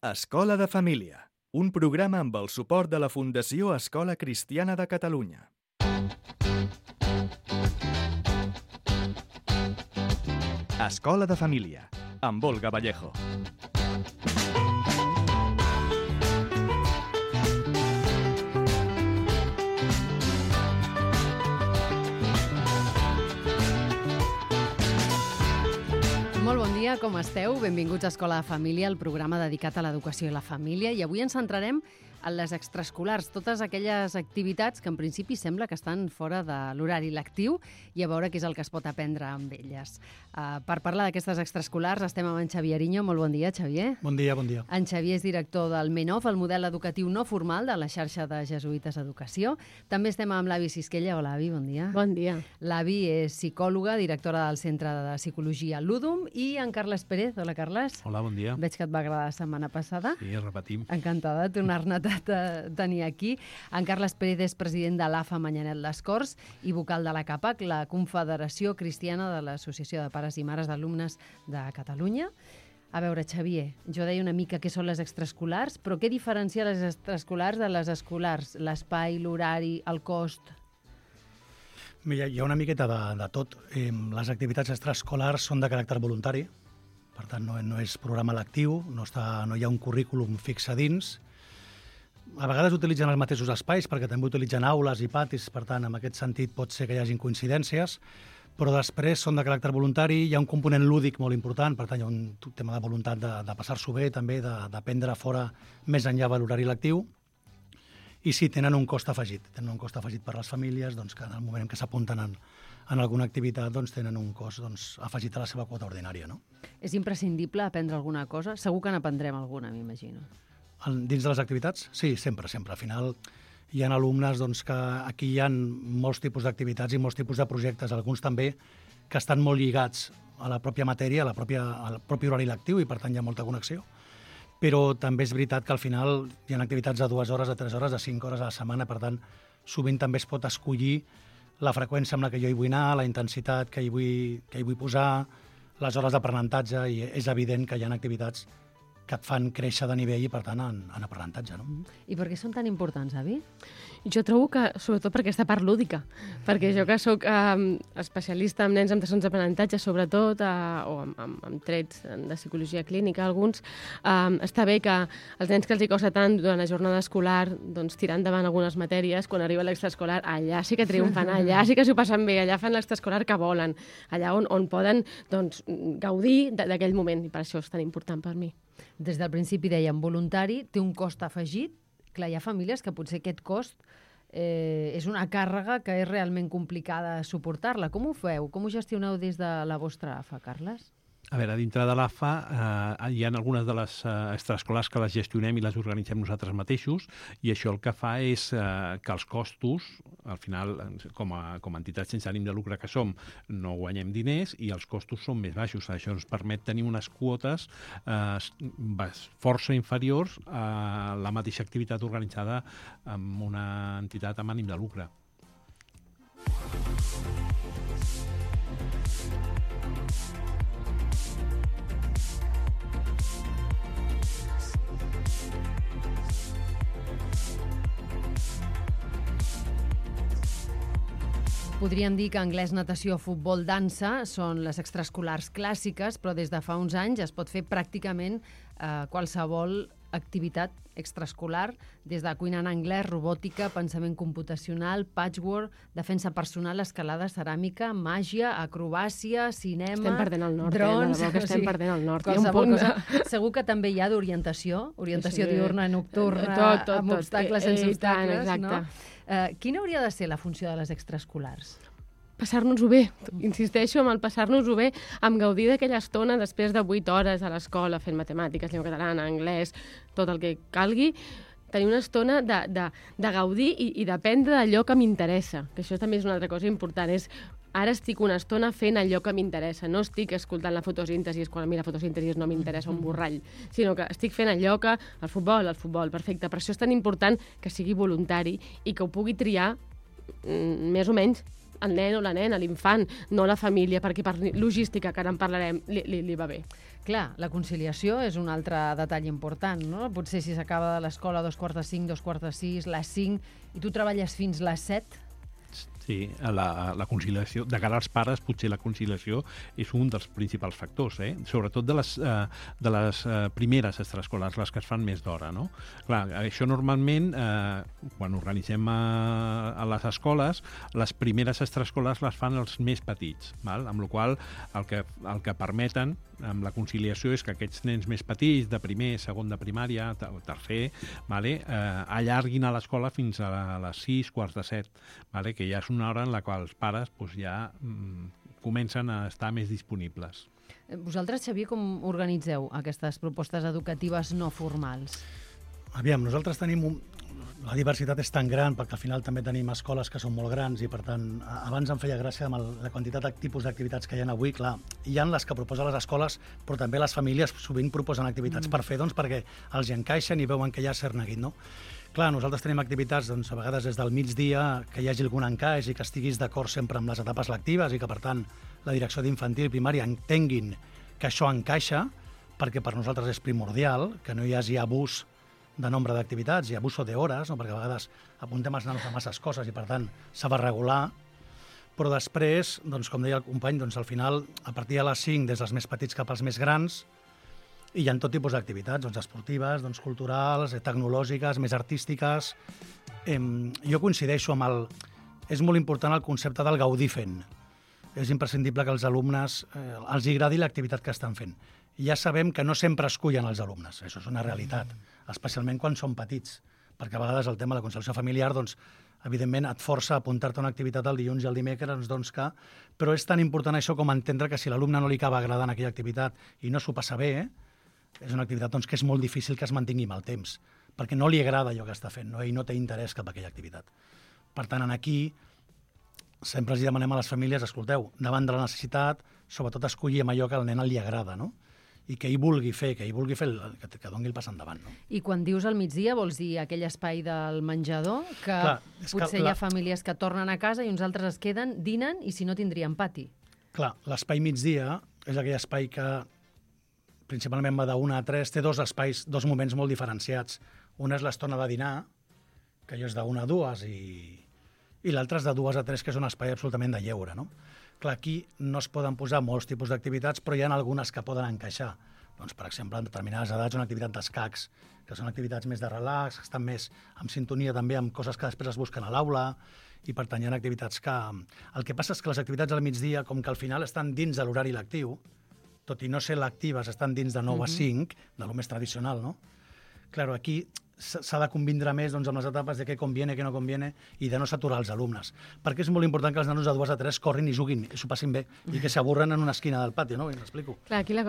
Escola de Família, un programa amb el suport de la Fundació Escola Cristiana de Catalunya. Escola de Família, amb Olga Vallejo. Molt bon dia, com esteu? Benvinguts a Escola de Família, el programa dedicat a l'educació i la família. I avui ens centrarem en les extraescolars, totes aquelles activitats que en principi sembla que estan fora de l'horari lectiu i a veure què és el que es pot aprendre amb elles. Per parlar d'aquestes extraescolars estem amb en Xavier Ariño. Molt bon dia, Xavier. Bon dia, bon dia. En Xavier és director del MENOF, el model educatiu no formal de la xarxa de Jesuïtes Educació. També estem amb l'Avi Sisquella. Hola, Avi, bon dia. Bon dia. L'Avi és psicòloga, directora del Centre de Psicologia Ludum, i en Carles Pérez. Hola, Carles. Hola, bon dia. Veig que et va agradar la setmana passada. Sí, repetim. Encantada de tornar-ne a tenir aquí. En Carles Pérez és president de l'AFA Manyanet Les Corts i vocal de la CAPAC, la Confederació Cristiana de l'Associació de Pares i Mares d'Alumnes de Catalunya. A veure, Xavier, jo deia una mica què són les extraescolars, però què diferencia les extraescolars de les escolars? L'espai, l'horari, el cost? Mira, hi ha una miqueta de tot. Les activitats extraescolars són de caràcter voluntari, per tant no és programa lectiu, no hi ha un currículum fix a dins. A vegades utilitzen els mateixos espais perquè també utilitzen aules i patis, per tant, en aquest sentit pot ser que hi hagin coincidències, però després són de caràcter voluntari, hi ha un component lúdic molt important, per tant, hi ha un tema de voluntat de passar-s'ho bé, també d'aprendre fora més enllà de l'horari lectiu, i sí, tenen un cost afegit per a les famílies, doncs, que en el moment en què s'apunten en alguna activitat doncs, tenen un cost afegit a la seva quota ordinària. No? És imprescindible aprendre alguna cosa? Segur que n'aprendrem alguna, m'imagino. Dins de les activitats? Sí, sempre. Al final hi ha alumnes que aquí hi ha molts tipus d'activitats i molts tipus de projectes, alguns també que estan molt lligats a la pròpia matèria, al propi horari lectiu, i per tant hi ha molta connexió. Però també és veritat que al final hi ha activitats de 2 hores, de 3 hores, de 5 hores a la setmana, per tant sovint també es pot escollir la freqüència amb la que jo hi vull anar, la intensitat que hi vull posar, les hores d'aprenentatge, i és evident que hi ha activitats que et fan créixer de nivell i, per tant, en aprenentatge. No? I per què són tan importants, Avi? Jo trobo que, sobretot per aquesta part lúdica, perquè jo que soc especialista en nens amb trastorns d'aprenentatge, sobretot, o amb trets de psicologia clínica, alguns, està bé que els nens que els hi costa tant durant la jornada escolar tirar endavant algunes matèries, quan arriba l'extraescolar, allà sí que triomfen, allà sí que s'ho passen bé, allà fan l'extraescolar que volen, allà on poden gaudir d'aquell moment, i per això és tan important per mi. Des del principi dèiem voluntari, té un cost afegit. Clar, hi ha famílies que potser aquest cost és una càrrega que és realment complicada suportar-la. Com ho feu? Com ho gestioneu des de la vostra AFA, Carles? A veure, dintre de l'AFA hi ha algunes de les extraescolars que les gestionem i les organitzem nosaltres mateixos, i això el que fa és que els costos, al final, com a entitat sense ànim de lucre que som, no guanyem diners i els costos són més baixos. Això ens permet tenir unes quotes força inferiors a la mateixa activitat organitzada amb una entitat amb ànim de lucre. Podríem dir que anglès, natació, futbol, dansa són les extraescolars clàssiques, però des de fa uns anys es pot fer pràcticament qualsevol activitat extraescolar, des de cuina en anglès, robòtica, pensament computacional, patchwork, defensa personal, escalada, ceràmica, màgia, acrobàcia, cinema, estem perdent el nord, drons... que estem perdent el nord. Segur que també hi ha d'orientació, diürna, nocturna, amb obstacles, sense obstacles, no? Quina hauria de ser la funció de les extraescolars? Passar-nos-ho bé, insisteixo en el passar-nos-ho bé, amb gaudir d'aquella estona després de 8 hores a l'escola fent matemàtiques, llengua catalana, anglès, tot el que calgui, tenir una estona de gaudir i d'aprendre d'allò que m'interessa, que això també és una altra cosa important, és ara estic una estona fent allò que m'interessa, no estic escoltant la fotosíntesi, quan a mi la fotosíntesi no m'interessa un borrall, sinó que estic fent allò que... El futbol, perfecte, per això és tan important que sigui voluntari i que ho pugui triar més o menys el nen o la nena, l'infant, no la família, perquè per logística, que ara en parlarem, li va bé. Clar, la conciliació és un altre detall important, no? Potser si s'acaba de l'escola a 2:45, 2:45, les 5, i tu treballes fins les 7, Sí, la conciliació, de cara als pares, potser la conciliació és un dels principals factors, sobretot de les primeres extraescolars, les que es fan més d'hora, no? Clar, això normalment, quan organitzem a les escoles, les primeres extraescolars les fan els més petits, val? Amb la qual cosa el que permeten amb la conciliació és que aquests nens més petits, de primer, segon de primària, tercer, allarguin a l'escola fins a les 6, quarts de 7, que ja és una hora en la qual els pares ja comencen a estar més disponibles. Vosaltres, Xavier, com organitzeu aquestes propostes educatives no formals? Aviam, nosaltres tenim la diversitat és tan gran perquè al final també tenim escoles que són molt grans i per tant, abans em feia gràcia amb la quantitat de tipus d'activitats que hi ha avui. Clar, hi ha les que proposen les escoles, però també les famílies sovint proposen activitats per fer, doncs perquè els hi encaixen i veuen que hi ha cert neguit, no? Clar, nosaltres tenim activitats, doncs, a vegades des del migdia, que hi hagi algun encaix i que estiguis d'acord sempre amb les etapes lectives i que, per tant, la direcció d'infantil i primària entenguin que això encaixa, perquè per nosaltres és primordial, que no hi hagi abús de nombre d'activitats i abuso d'hores, no? Perquè a vegades apuntem els nanos a masses coses i, per tant, s'ha de regular. Però després, doncs, com deia el company, doncs, al final, a partir de les 5, des dels més petits cap als més grans, hi ha tot tipus d'activitats, doncs, esportives, doncs, culturals, tecnològiques, més artístiques. Jo coincideixo amb És molt important el concepte del gaudir fent. És imprescindible que els alumnes els agradi l'activitat que estan fent. Ja sabem que no sempre escullen els alumnes, això és una realitat, especialment quan són petits, perquè a vegades el tema de la conciliació familiar, doncs, evidentment, et força a apuntar-te a una activitat el dilluns i el dimecres, doncs que... Però és tan important això com entendre que si l'alumne no li acaba agradant aquella activitat i no s'ho passa bé, és una activitat doncs, que és molt difícil que es mantingui amb el temps, perquè no li agrada allò que està fent, no? I no té interès cap a aquella activitat. Per tant, aquí sempre els demanem a les famílies, escolteu, davant de la necessitat, sobretot escollir allò que al nen li agrada, no? I que ell vulgui fer, que doni el pas endavant. No? I quan dius al migdia, vols dir aquell espai del menjador, que clar, potser hi ha famílies que tornen a casa i uns altres es queden, dinen, i si no tindrien pati. Clar, l'espai migdia és aquell espai que principalment va d'1 a 3, té dos espais, dos moments molt diferenciats. Una és l'estona de dinar, que allò és d'1 a 2, i l'altre és de 2 a 3, que és un espai absolutament de lleure, no? Clar, aquí no es poden posar molts tipus d'activitats, però hi ha algunes que poden encaixar. Doncs, per exemple, en determinades edats, una activitat d'escacs, que són activitats més de relax, que estan més en sintonia també amb coses que després es busquen a l'aula, i per tant hi ha activitats que... El que passa és que les activitats al migdia, com que al final estan dins de l'horari lectiu, tot i no ser lectives, estan dins de 9 a 5, de lo més tradicional, no? Claro, aquí s'ha de convindre més doncs, amb les etapes de què conviene, què no conviene, i de no saturar els alumnes. Perquè és molt important que els nanos de 2 a 3 corrin i juguin, i s'ho passin bé, i que s'avorren en una esquina del pati, no? I m'explico. Clar, aquí la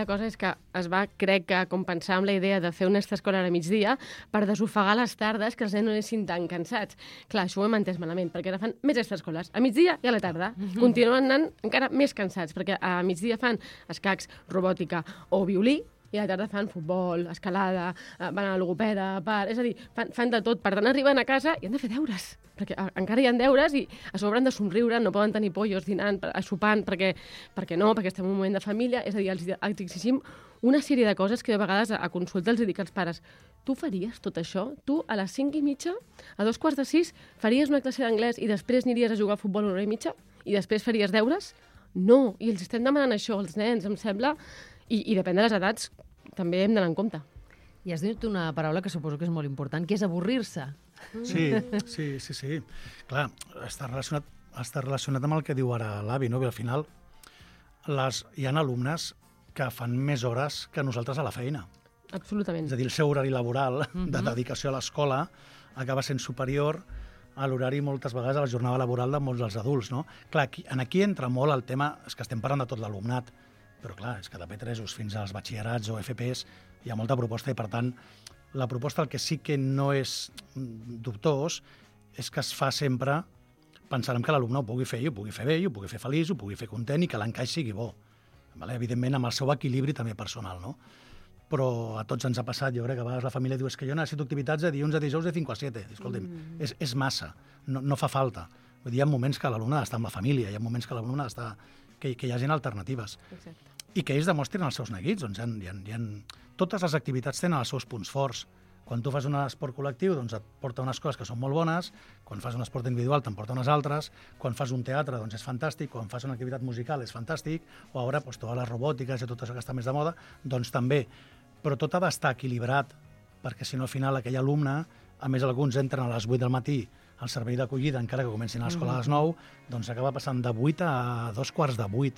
cosa és que es va, crec que, compensar amb la idea de fer una extraescolar a migdia per desofegar les tardes, que els nens no anessin tan cansats. Clar, això ho hem entès malament, perquè ara fan més extraescolars a migdia i a la tarda. Continuen anant encara més cansats, perquè a migdia fan escacs, robòtica o violí, i a la tarda fan futbol, escalada, van a la logopeda, és a dir, fan de tot. Per tant, arriben a casa i han de fer deures, perquè encara hi ha deures i a sobre han de somriure, no poden tenir pollos dinant, sopant, perquè estem en un moment de família. És a dir, els exigim una sèrie de coses que de vegades a consulta els dic als pares: tu faries tot això? Tu a les 5:30, a 5:15, faries una classe d'anglès i després aniries a jugar a futbol una hora i mitja? I després faries deures? No, i els estem demanant això als nens, em sembla. I depèn de les edats, també hem d'anar en compte. I has dit una paraula que suposo que és molt important, que és avorrir-se. Sí. Clar, està relacionat amb el que diu ara l'avi, no? Al final hi ha alumnes que fan més hores que nosaltres a la feina. Absolutament. És a dir, el seu horari laboral de dedicació a l'escola acaba sent superior a l'horari moltes vegades a la jornada laboral de molts dels adults, no? Clar, aquí entra molt el tema, és que estem parlant de tot l'alumnat, però clar, és que de P3 fins als batxillerats o FPs hi ha molta proposta i per tant la proposta el que sí que no és dubtós és que es fa sempre pensant que l'alumne ho pugui fer i ho pugui fer bé, i ho pugui fer feliç, ho pugui fer content i que l'encaix sigui bo. Evidentment amb el seu equilibri també personal, no? Però a tots ens ha passat, jo crec que a vegades la família diu que jo necessito activitats de dilluns a dijous de 5 a 7. Escolta'm, és massa, no fa falta. Vull dir, hi ha moments que l'alumne ha d'estar amb la família, hi ha moments que l'alumne ha d'estar... que hi hagin alternatives. Exacte. i que ells demostrin els seus neguits. Doncs totes les activitats tenen els seus punts forts. Quan tu fas un esport col·lectiu, doncs et porta unes coses que són molt bones, quan fas un esport individual te'n porta unes altres, quan fas un teatre doncs és fantàstic, quan fas una activitat musical és fantàstic, o ara doncs, totes les robòtiques i tot això que està més de moda, doncs també. Però tot ha d'estar equilibrat, perquè si no al final aquell alumne, a més alguns entren a les 8 del matí al servei d'acollida, encara que comencin a l'escola a les 9, doncs acaba passant de 8 a 7:45,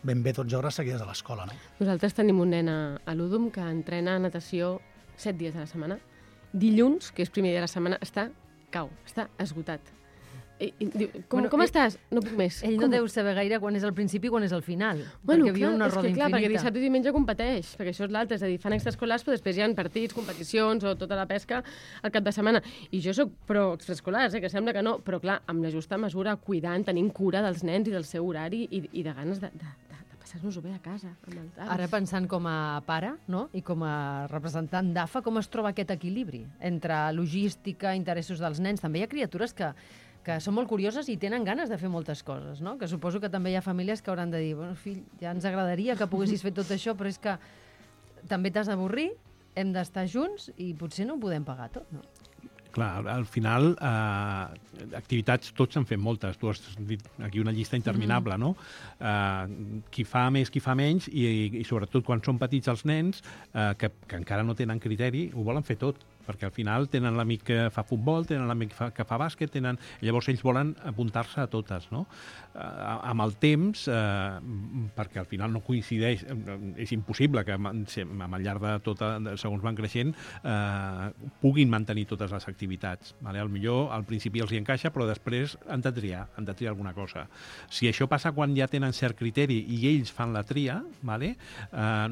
ben bé 12 hores seguides a l'escola, no? Nosaltres tenim un nen a l'Udum que entrena natació 7 dies a la setmana. Dilluns, que és primer dia de la setmana, està esgotat. Diu, com estàs? No puc més. Ell no deu saber gaire quan és el principi i quan és el final. Bueno, perquè viu una roda infinita. Perquè dissabte i diumenge competeix, perquè això és l'altre, és a dir, fan extraescolars, però després hi ha partits, competicions o tota la pesca al cap de setmana. I jo soc pro extraescolars, que sembla que no, però clar, amb la justa mesura, cuidant, tenint cura dels nens i del seu horari i de ganes de passar-nos-ho bé a casa. Ara pensant com a pare, no? I com a representant d'AFA, com es troba aquest equilibri entre logística, interessos dels nens? També hi ha criatures que són molt curioses i tenen ganes de fer moltes coses, no? Que suposo que també hi ha famílies que hauran de dir, bueno, fill, ja ens agradaria que poguessis fer tot això, però és que també t'has d'avorrir, hem d'estar junts i potser no ho podem pagar tot, no? Clar, al final, activitats tots han fet moltes. Tu has dit aquí una llista interminable, no? Qui fa més, qui fa menys, i sobretot quan són petits els nens, que encara no tenen criteri, ho volen fer tot, perquè al final tenen l'amic que fa futbol, tenen l'amic que fa bàsquet, llavors ells volen apuntar-se a totes, no? Amb el temps, perquè al final no coincideix, és impossible que al llarg de tota, segons van creixent, puguin mantenir totes les activitats. Al millor al principi els hi encaixa, però després han de triar alguna cosa. Si això passa quan ja tenen cert criteri i ells fan la tria,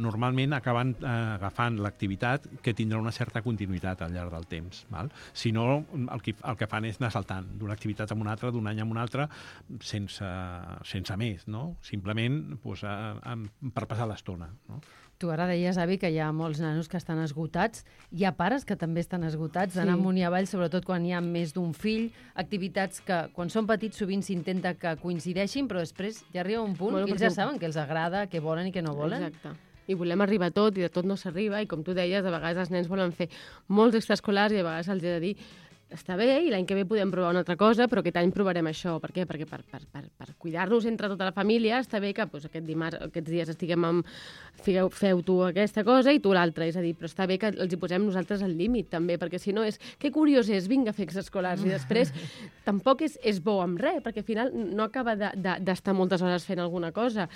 normalment acaben agafant l'activitat que tindrà una certa continuïtat al llarg del temps. Si no, el que fan és anar saltant d'una activitat a una altra, d'un any a un altre, sense més, no? Simplement per passar l'estona. No? Tu ara deies, Avi, que hi ha molts nanos que estan esgotats. Hi ha pares que també estan esgotats, d'anar amunt i avall, sobretot quan hi ha més d'un fill, activitats que, quan són petits, sovint s'intenta que coincideixin, però després ja arriba un punt que ells ja saben què els agrada, què volen i què no volen. Exacte. I volem arribar a tot, i de tot no s'arriba, i com tu deies, a vegades els nens volen fer molts extraescolars i a vegades els he de dir està bé, i l'any que ve podem provar una altra cosa, però aquest any provarem això. Per què? Perquè per cuidar-nos entre tota la família està bé que aquests dies estiguem feu tu aquesta cosa i tu l'altra. És a dir, però està bé que els hi posem nosaltres al límit, també, perquè si no és... Que curiós és, vinga a fer extraescolars, i després tampoc és bo amb res, perquè al final no acaba d'estar moltes hores fent alguna cosa.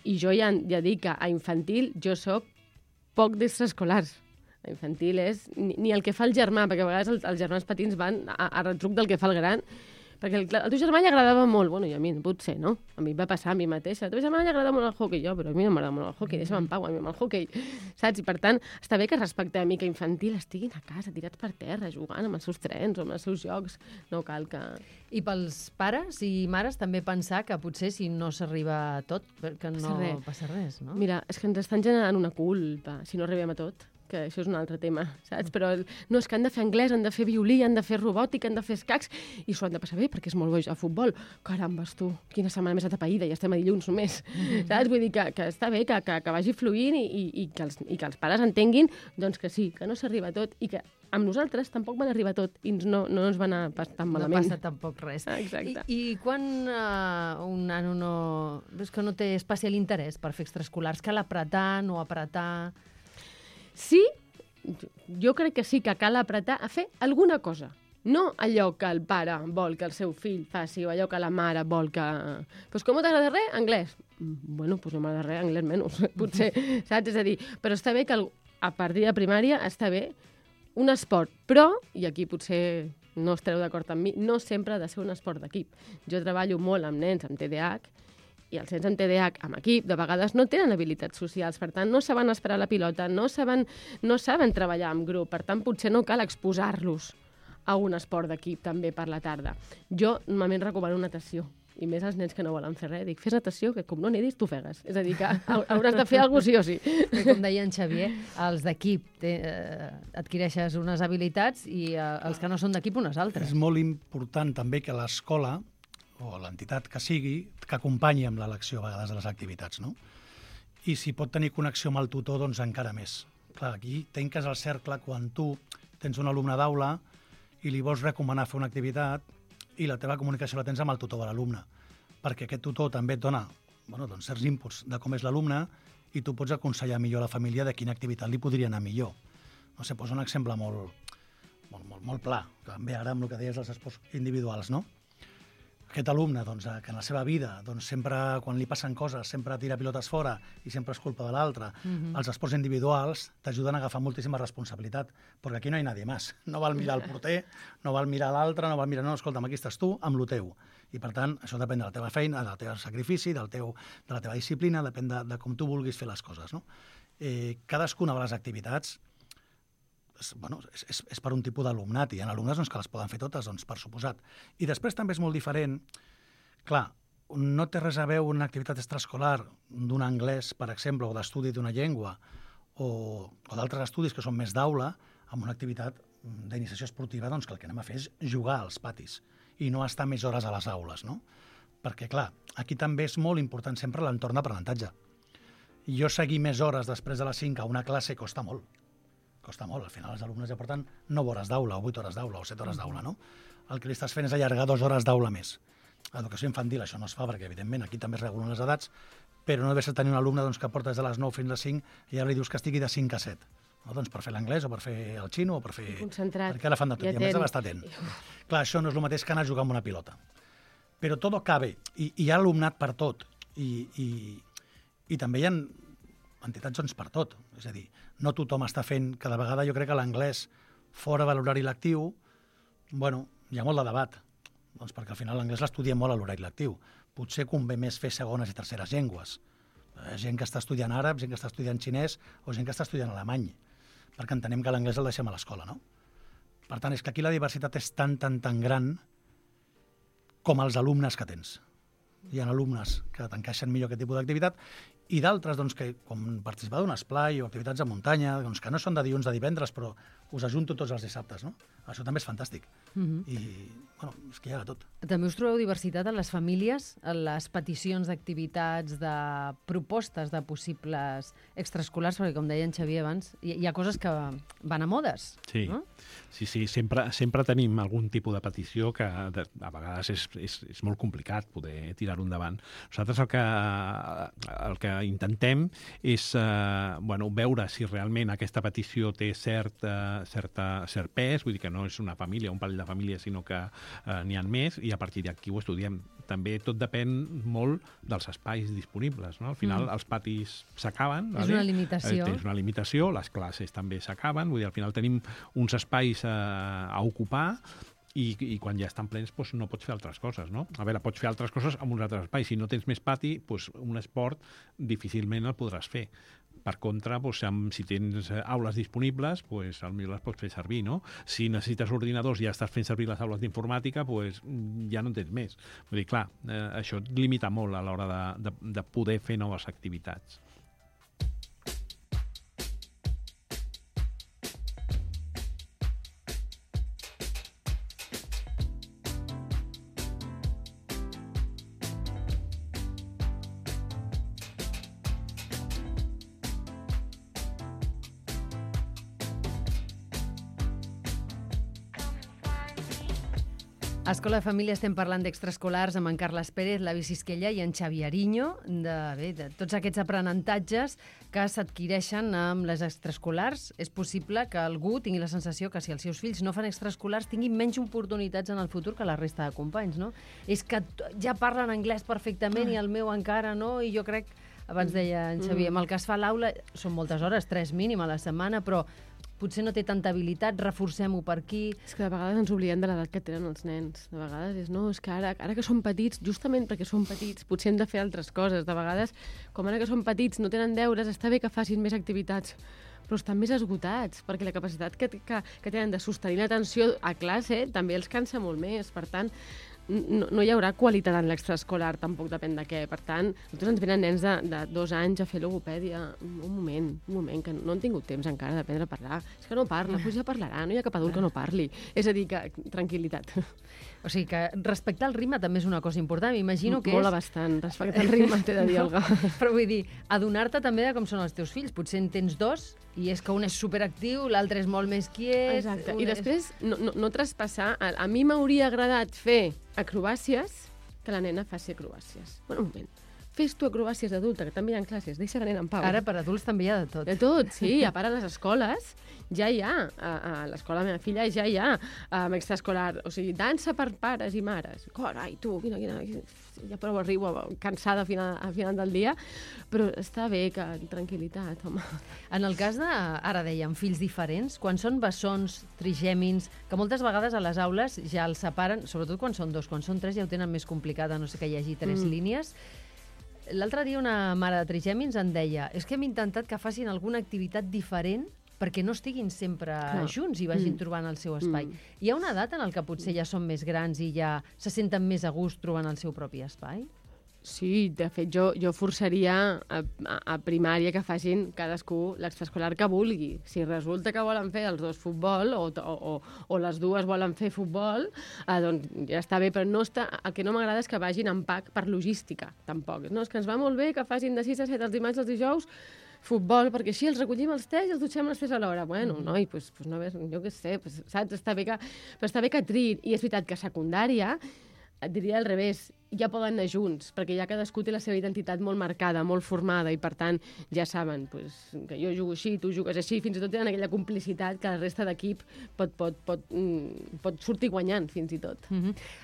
I jo ja dic que a infantil jo soc poc d'extraescolars. A infantil és ni el que fa el germà, perquè a vegades els germans petits van a retruc del que fa el gran, perquè al teu germà li agradava molt, bueno, i a mi potser, no? A mi va passar a mi mateixa. A teu germà li agrada molt el hoquei, però a mi no m'agrada molt el hoquei, deixa'm en pau, a mi amb el hoquei, saps? I per tant, està bé que respectem i que infantil estiguin a casa, tirats per terra, jugant amb els seus trens o amb els seus jocs. No cal que... I pels pares i mares també pensar que potser si no s'arriba a tot, que no passa res, no? Mira, és que ens estan generant una culpa si no arribem a tot, que això és un altre tema, saps? Però no, és que han de fer anglès, han de fer violí, han de fer robòtica, han de fer escacs, i s'ho han de passar bé, perquè és molt bo a futbol. Carambes, tu, quina setmana més atapeïda, ja estem a dilluns només, saps? Vull dir que està bé, que vagi fluint i que els pares entenguin doncs que sí, que no s'arriba a tot i que amb nosaltres tampoc van arribar a tot i no ens va anar tan malament. No passa tampoc res. Exacte. I quan un nano és que no té especial interès per fer extraescolars, cal apretar, no apretar... Sí, jo crec que sí que cal apretar a fer alguna cosa. No allò que el pare vol que el seu fill faci o allò que la mare vol que... Pues com no t'agrada res? Anglès. Bueno, pues no m'agrada res, anglès menys, potser, saps? És a dir, però està bé que a partir de primària està bé un esport, però, i aquí potser no estareu d'acord amb mi, no sempre ha de ser un esport d'equip. Jo treballo molt amb nens amb TDAH, i els nens amb TDAH amb equip de vegades no tenen habilitats socials, per tant no saben esperar la pilota, no saben treballar en grup, per tant potser no cal exposar-los a un esport d'equip també per la tarda. Jo normalment recomano natació, i més als nens que no volen fer res. Dic, fes natació, que com no nedis, tu fegues. És a dir, que hauràs de fer alguna cosa sí o sí. Com deia en Xavier, els d'equip adquireixes unes habilitats i els que no són d'equip unes altres. És molt important també que l'escola o l'entitat que sigui, que acompanyi amb l'elecció a vegades de les activitats, no? i si pot tenir connexió amb el tutor, doncs encara més. Clar, aquí tanques el cercle quan tu tens un alumne d'aula i li vols recomanar fer una activitat i la teva comunicació la tens amb el tutor de l'alumne, perquè aquest tutor també et dona doncs certs inputs de com és l'alumne i tu pots aconsellar millor a la família de quina activitat li podria anar millor. No sé, poso un exemple molt pla, que em ve ara amb el que deies dels esports individuals, no? Aquest alumne, doncs, que en la seva vida, doncs, sempre, quan li passen coses, sempre tira pilotes fora i sempre és culpa de l'altre. Els esports individuals t'ajuden a agafar moltíssima responsabilitat, perquè aquí no hi ha nadie més. No val mirar el porter, no val mirar l'altre, no val mirar... No, escolta'm, aquí estàs tu amb lo teu. I, per tant, això depèn de la teva feina, del teu sacrifici, de la teva disciplina, depèn de com tu vulguis fer les coses, no? Cadascuna de les activitats és per un tipus d'alumnat, i hi ha alumnes que les poden fer totes, doncs, per suposat. I després també és molt diferent. Clar, no té res a veure una activitat extraescolar d'un anglès, per exemple, o d'estudi d'una llengua, o d'altres estudis que són més d'aula, amb una activitat d'iniciació esportiva, doncs que el que anem a fer és jugar als patis i no estar més hores a les aules, no? Perquè, clar, aquí també és molt important sempre l'entorn d'aprenentatge. Jo seguir més hores després de les 5 a una classe costa molt. Costa molt. Al final els alumnes ja porten 9 hores d'aula, o 8 hores d'aula, o 7 hores d'aula, no? El que li estàs fent és allargar 2 hores d'aula més. A l'educació infantil això no es fa, perquè, evidentment, aquí també es regulen les edats, però no deu ser tenir un alumne doncs, que porta des de les 9 fins a les 5 i ara li dius que estigui de 5 a 7. No? Doncs per fer l'anglès, o per fer el xino, o per fer... Concentrat. Perquè ara fan de tot, i a més ha d'estar atent. Clar, això no és el mateix que anar a jugar amb una pilota. Però tot cabe, i hi ha alumnat per tot, i també hi ha entitats doncs, per tot. És a dir, no tothom està fent... Cada vegada jo crec que l'anglès fora de l'horari lectiu, hi ha molt de debat, doncs perquè al final l'anglès l'estudiem molt a l'horari lectiu. Potser convé més fer segones i terceres llengües. Gent que està estudiant àrab, gent que està estudiant xinès o gent que està estudiant alemany, perquè entenem que l'anglès el deixem a l'escola, no? Per tant, és que aquí la diversitat és tan gran com els alumnes que tens. Hi ha alumnes que t'encaixen millor aquest tipus d'activitat i d'altres doncs, que, com participar d'un esplai o activitats de muntanya, doncs, que no són de dilluns a divendres, però us ajunto tots els dissabtes, no? Això també és fantàstic. I, és que hi ha de tot. També us trobeu diversitat en les famílies, en les peticions d'activitats, de propostes de possibles extraescolars, perquè, com deia en Xavier abans, hi ha coses que van a modes, sí. No? Sí, sempre tenim algun tipus de petició que a vegades és molt complicat poder tirar-ho endavant. Nosaltres el que intentem és veure si realment aquesta petició té cert pes, vull dir que no és una família, un parell de famílies, sinó que n'hi ha més, i a partir d'aquí ho estudiem. També tot depèn molt dels espais disponibles, no? Al final els patis s'acaben. És una limitació. Tens una limitació, les classes també s'acaben, vull dir, al final tenim uns espais a ocupar, i quan ja estan plens doncs no pots fer altres coses, no? A veure, pots fer altres coses en uns altres espais. Si no tens més pati, doncs un esport difícilment el podràs fer. Per contra, doncs, si tens aules disponibles, doncs potser les pots fer servir, no? Si necessites ordinadors i ja estàs fent servir les aules d'informàtica, doncs ja no en tens més. Vull dir, clar, això et limita molt a l'hora de poder fer noves activitats. A Escola de Família estem parlant d'extraescolars amb en Carles Pérez, l'Avi Sisquella i en Xavi Ariño, de tots aquests aprenentatges que s'adquireixen amb les extraescolars. És possible que algú tingui la sensació que si els seus fills no fan extraescolars tinguin menys oportunitats en el futur que la resta de companys, no? És que ja parlen anglès perfectament i el meu encara no, i jo crec, abans deia en Xavi, amb el que es fa a l'aula són moltes hores, 3 mínim a la setmana, però potser no té tanta habilitat, reforcem-ho per aquí. És que de vegades ens oblidem de l'edat que tenen els nens. De vegades és que ara que són petits, justament perquè són petits, potser hem de fer altres coses. De vegades, com ara que són petits, no tenen deures, està bé que facin més activitats, però estan més esgotats, perquè la capacitat que tenen de sostenir l'atenció a classe també els cansa molt més. Per tant, no hi haurà qualitat en l'extraescolar, tampoc depèn de què. Per tant, nosaltres ens venen nens de 2 anys a fer logopèdia. Un moment, que no han tingut temps encara d'aprendre a parlar. És que no parla, doncs ja parlarà, no hi ha cap adult que no parli. És a dir, que tranquil·litat. O sigui que respectar el ritme també és una cosa important. M'imagino que Molt bastant, respectar el ritme, t'he de dir, Olga. Però vull dir, adonar-te també de com són els teus fills. Potser en tens 2 i és que un és superactiu, l'altre és molt més quiet... Exacte. I després no traspassar... A mi m'hauria agradat fer acrobàcies que la nena faci acrobàcies. Bueno, un moment. Fes tu acrobàcies d'adulta, que també hi ha classes. Deixa la nena en pau. Ara per adults també hi ha de tot. De tot, sí. A part, a les escoles ja hi ha. A l'escola de la meva filla ja hi ha extraescolar. O sigui, dansa per pares i mares. Carai, tu, quina... Ja prou arribo cansada a final del dia, però està bé que tranquil·litat, home. En el cas de, ara dèiem, fills diferents, quan són bessons, trigèmins, que moltes vegades a les aules ja els separen, sobretot quan són 2, quan són 3 ja ho tenen més complicat, a no ser que hi hagi 3 línies. L'altre dia una mare de trigèmins em deia és que hem intentat que facin alguna activitat diferent perquè no estiguin sempre junts i vagin trobant el seu espai. Hi ha una edat en què potser ja són més grans i ja se senten més a gust trobant el seu propi espai? Sí, de fet, jo forçaria a primària que facin cadascú l'extraescolar que vulgui. Si resulta que volen fer els 2 futbol o les 2 volen fer futbol, doncs ja està bé, però el que no m'agrada és que vagin en pack per logística, tampoc. No, és que ens va molt bé que facin de 6 a 7 els dimarts i els dijous futbol, perquè així els recollim els 3 i els dutxem les 3 a l'hora. Bueno, noi, pues no, jo què sé, saps? Està bé que triïn. I és veritat que a secundària, et diria al revés, ja poden anar junts, perquè ja cadascú té la seva identitat molt marcada, molt formada, i per tant ja saben que jo jugo així, tu jugues així, fins i tot tenen aquella complicitat que la resta d'equip pot sortir guanyant, fins i tot.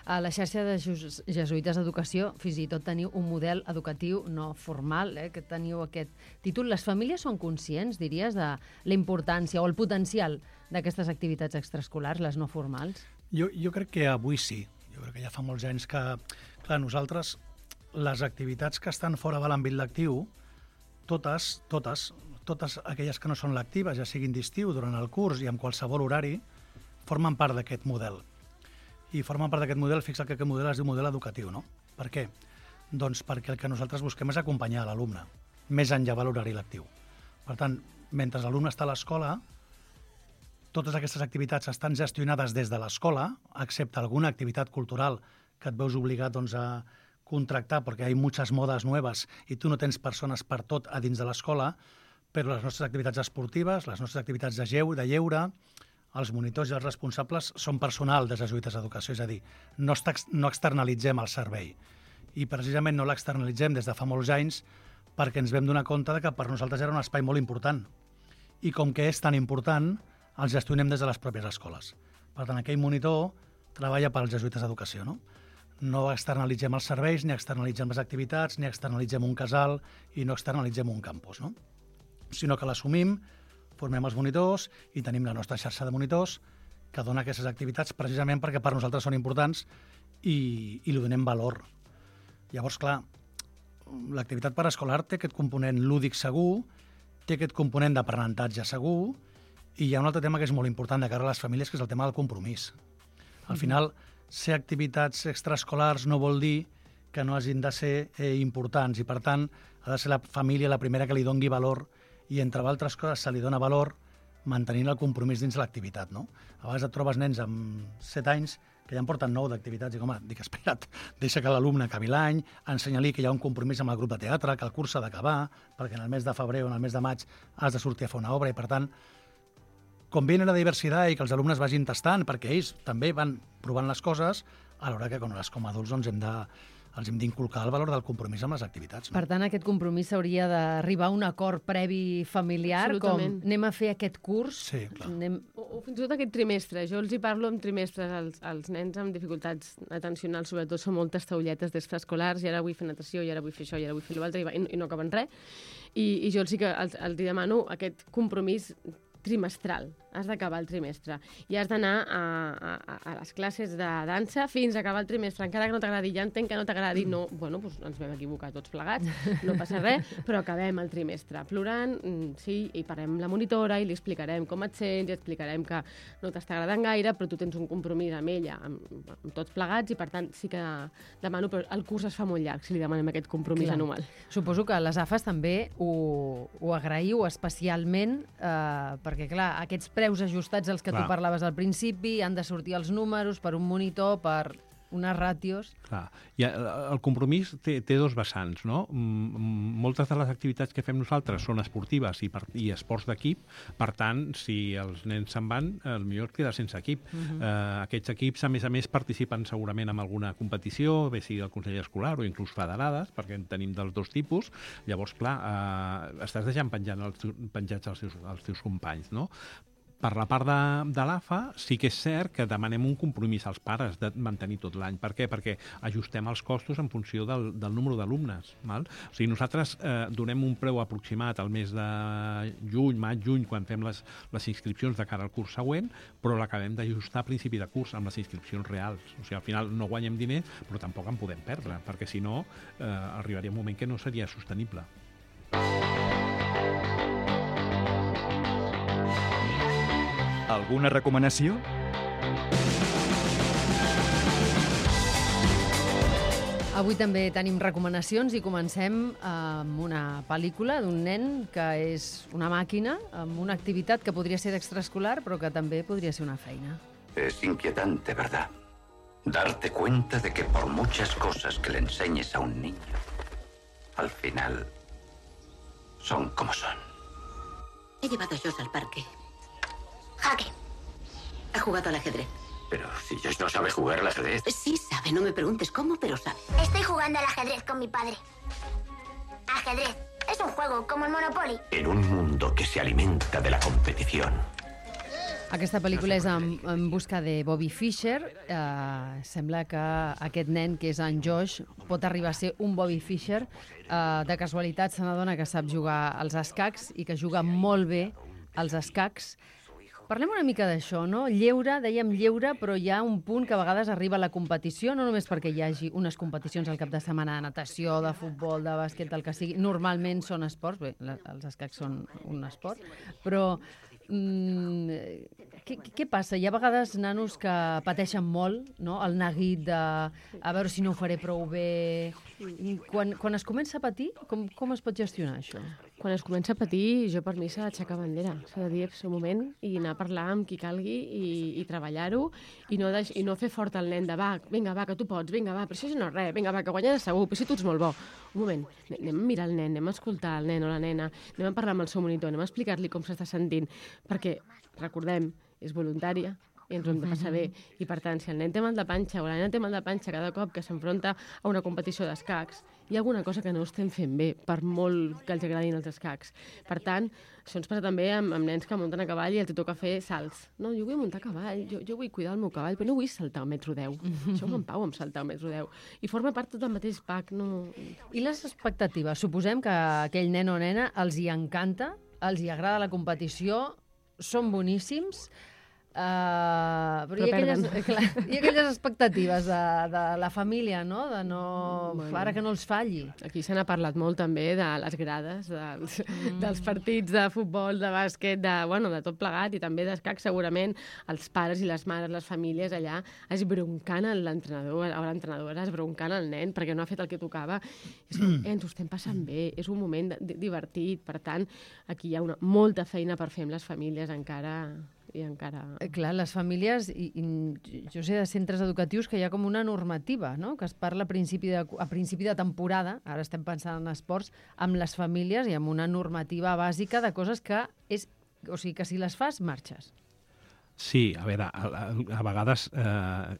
A la xarxa de jesuïtes d'educació, fins i tot teniu un model educatiu no formal, que teniu aquest títol. Les famílies són conscients, diries, de la importància o el potencial d'aquestes activitats extraescolars, les no formals? Jo crec que avui sí. Jo crec que ja fa molts anys que, clar, nosaltres, les activitats que estan fora de l'àmbit lectiu, totes aquelles que no són lectives, ja siguin d'estiu, durant el curs i en qualsevol horari, formen part d'aquest model. I formen part d'aquest model, fixa't que aquest model es diu model educatiu, no? Per què? Doncs perquè el que nosaltres busquem és acompanyar l'alumne, més enllà de l'horari lectiu. Per tant, mentre l'alumne està a l'escola, totes aquestes activitats estan gestionades des de l'escola, excepte alguna activitat cultural que et veus obligat a contractar perquè hi ha moltes modes noves i tu no tens persones per tot a dins de l'escola, però les nostres activitats esportives, les nostres activitats de lleure, els monitors i els responsables són personal de jesuïtes d'educació, és a dir, no externalitzem el servei. I precisament no l'externalitzem des de fa molts anys perquè ens vam donar compte que per nosaltres era un espai molt important. I com que és tan important, els gestionem des de les pròpies escoles. Per tant, aquell monitor treballa pels jesuïtes d'educació, no? No externalitzem els serveis, ni externalitzem les activitats, ni externalitzem un casal i no externalitzem un campus, no? Sinó que l'assumim, formem els monitors i tenim la nostra xarxa de monitors que dona aquestes activitats precisament perquè per nosaltres són importants i li donem valor. Llavors, clar, l'activitat paraescolar té aquest component lúdic segur, té aquest component d'aprenentatge segur, i hi ha un altre tema que és molt important de cara a les famílies, que és el tema del compromís. Al final, ser activitats extraescolars no vol dir que no hagin de ser importants i, per tant, ha de ser la família la primera que li doni valor i, entre altres coses, se li dona valor mantenint el compromís dins l'activitat, no? A vegades et trobes nens amb 7 anys que ja en porten 9 d'activitats i, home, dic, espera't, deixa que l'alumne acabi l'any, ensenya-li que hi ha un compromís amb el grup de teatre, que el curs s'ha d'acabar, perquè en el mes de febrer o en el mes de maig has de sortir a fer una obra i, per tant, conviene la diversitat i que els alumnes vagin tastant, perquè ells també van provant les coses, alhora que com a adults els hem d'inculcar el valor del compromís amb les activitats. No? Per tant, aquest compromís s'hauria d'arribar a un acord previ familiar, com anem a fer aquest curs. Sí, clar. O fins i tot aquest trimestre. Jo els hi parlo en trimestres. Els nens amb dificultats atencionals, sobretot, són moltes taulletes d'extraescolars, i ara vull fer natació, i ara vull fer això, i ara vull fer l'altre, i no acaben res. I jo sí que els demano aquest compromís trimestral. has d'acabar el trimestre i has d'anar a les classes de dansa fins a acabar el trimestre, encara que no t'agradi, ja entenc que no t'agradi, no, bueno, doncs ens vam equivocar tots plegats, no passa res, però acabem el trimestre plorant, sí, i parlem amb la monitora i li explicarem com et sents, i explicarem que no t'està agradant gaire, però tu tens un compromís amb ella, amb tots plegats, i per tant sí que demano, però el curs es fa molt llarg si li demanem aquest compromís anual. Suposo que les AFAs també ho agraïu especialment perquè, clar, aquests preus ajustats als que tu parlaves al principi, han de sortir els números per un monitor, per unes ràtios... Clar. I el compromís té dos vessants, no? Moltes de les activitats que fem nosaltres són esportives i esports d'equip, per tant, si els nens se'n van, potser queda sense equip. Aquests equips, a més, participen segurament en alguna competició, bé sigui el Consell Escolar o inclús federades, perquè en tenim dels dos tipus. Llavors, clar, estàs deixant penjats els teus companys, no? Per la part de l'AFA, sí que és cert que demanem un compromís als pares de mantenir tot l'any. Per què? Perquè ajustem els costos en funció del número d'alumnes. O sigui, nosaltres donem un preu aproximat al mes de juny, maig, juny, quan fem les inscripcions de cara al curs següent, però l'acabem d'ajustar a principi de curs amb les inscripcions reals. O sigui, al final no guanyem diners, però tampoc en podem perdre, perquè si no arribaria un moment que no seria sostenible. Alguna recomanació? Avui també tenim recomanacions i comencem amb una pel·lícula d'un nen que és una màquina, amb una activitat que podria ser d'extraescolar, però que també podria ser una feina. Es inquietante, ¿verdad? Darte cuenta de que por muchas cosas que le enseñes a un niño, al final son como son. He llevado a Josh al parque. Jaque. Ha jugado al ajedrez. Pero si Josh no sabe jugar al ajedrez. Sí sabe, no me preguntes cómo, pero sabe. Estoy jugando al ajedrez con mi padre. Ajedrez es un juego como el Monopoly. En un mundo que se alimenta de la competición. Aquesta pel·lícula és en busca de Bobby Fischer. Sembla que aquest nen, que és en Josh, pot arribar a ser un Bobby Fischer. De casualitat se n'adona que sap jugar als escacs i que juga molt bé als escacs. Parlem una mica d'això, no? Lleure, dèiem lleure, però hi ha un punt que a vegades arriba a la competició, no només perquè hi hagi unes competicions al cap de setmana de natació, de futbol, de bàsquet, del que sigui. Normalment són esports, bé, els escacs són un esport, però què passa? Hi ha vegades nanos que pateixen molt, no? El neguit de a veure si no ho faré prou bé. Quan es comença a patir, com es pot gestionar això? Quan es comença a patir, jo per mi s'ha d'aixecar bandera. S'ha de dir un moment i anar a parlar amb qui calgui i treballar-ho i no fer fort el nen de vinga, va, que tu pots, vinga, va, però això no és res, vinga, va, que guanyaràs segur, però si tu ets molt bo. Un moment, anem a mirar el nen, anem a escoltar el nen o la nena, anem a parlar amb el seu monitor, anem a explicar-li com s'està sentint, perquè, recordem, és voluntària, i ens ho hem de passar bé. I per tant, si el nen té mal de panxa o la nena té mal de panxa cada cop que s'enfronta a una competició d'escacs, hi ha alguna cosa que no estem fent bé, per molt que els agradin els escacs. Per tant, això ens passa també amb nens que munten a cavall i els toca fer salts. No, jo vull muntar a cavall, jo vull cuidar el meu cavall, però no vull saltar 1,10 m. Deixeu-me en pau amb saltar 1,10 m. I forma part tot del mateix pack. No... I les expectatives? Suposem que aquell nen o nena els hi encanta, els hi agrada la competició, són boníssims, però hi ha aquelles expectatives de la família, no? De no... Ara que no els falli. Aquí se n'ha parlat molt també de les grades, dels partits de futbol, de bàsquet, de tot plegat, i també d'escac, segurament els pares i les mares, les famílies allà, esbroncant l'entrenador o l'entrenadora, esbroncant el nen perquè no ha fet el que tocava. Ens ho estem passant bé, és un moment divertit, per tant, aquí hi ha molta feina per fer amb les famílies encara... Clar, les famílies, jo sé de centres educatius que hi ha com una normativa, no? Que es parla a principi de temporada, ara estem pensant en esports, amb les famílies i amb una normativa bàsica de coses que que si les fas, marxes. Sí, a veure, a vegades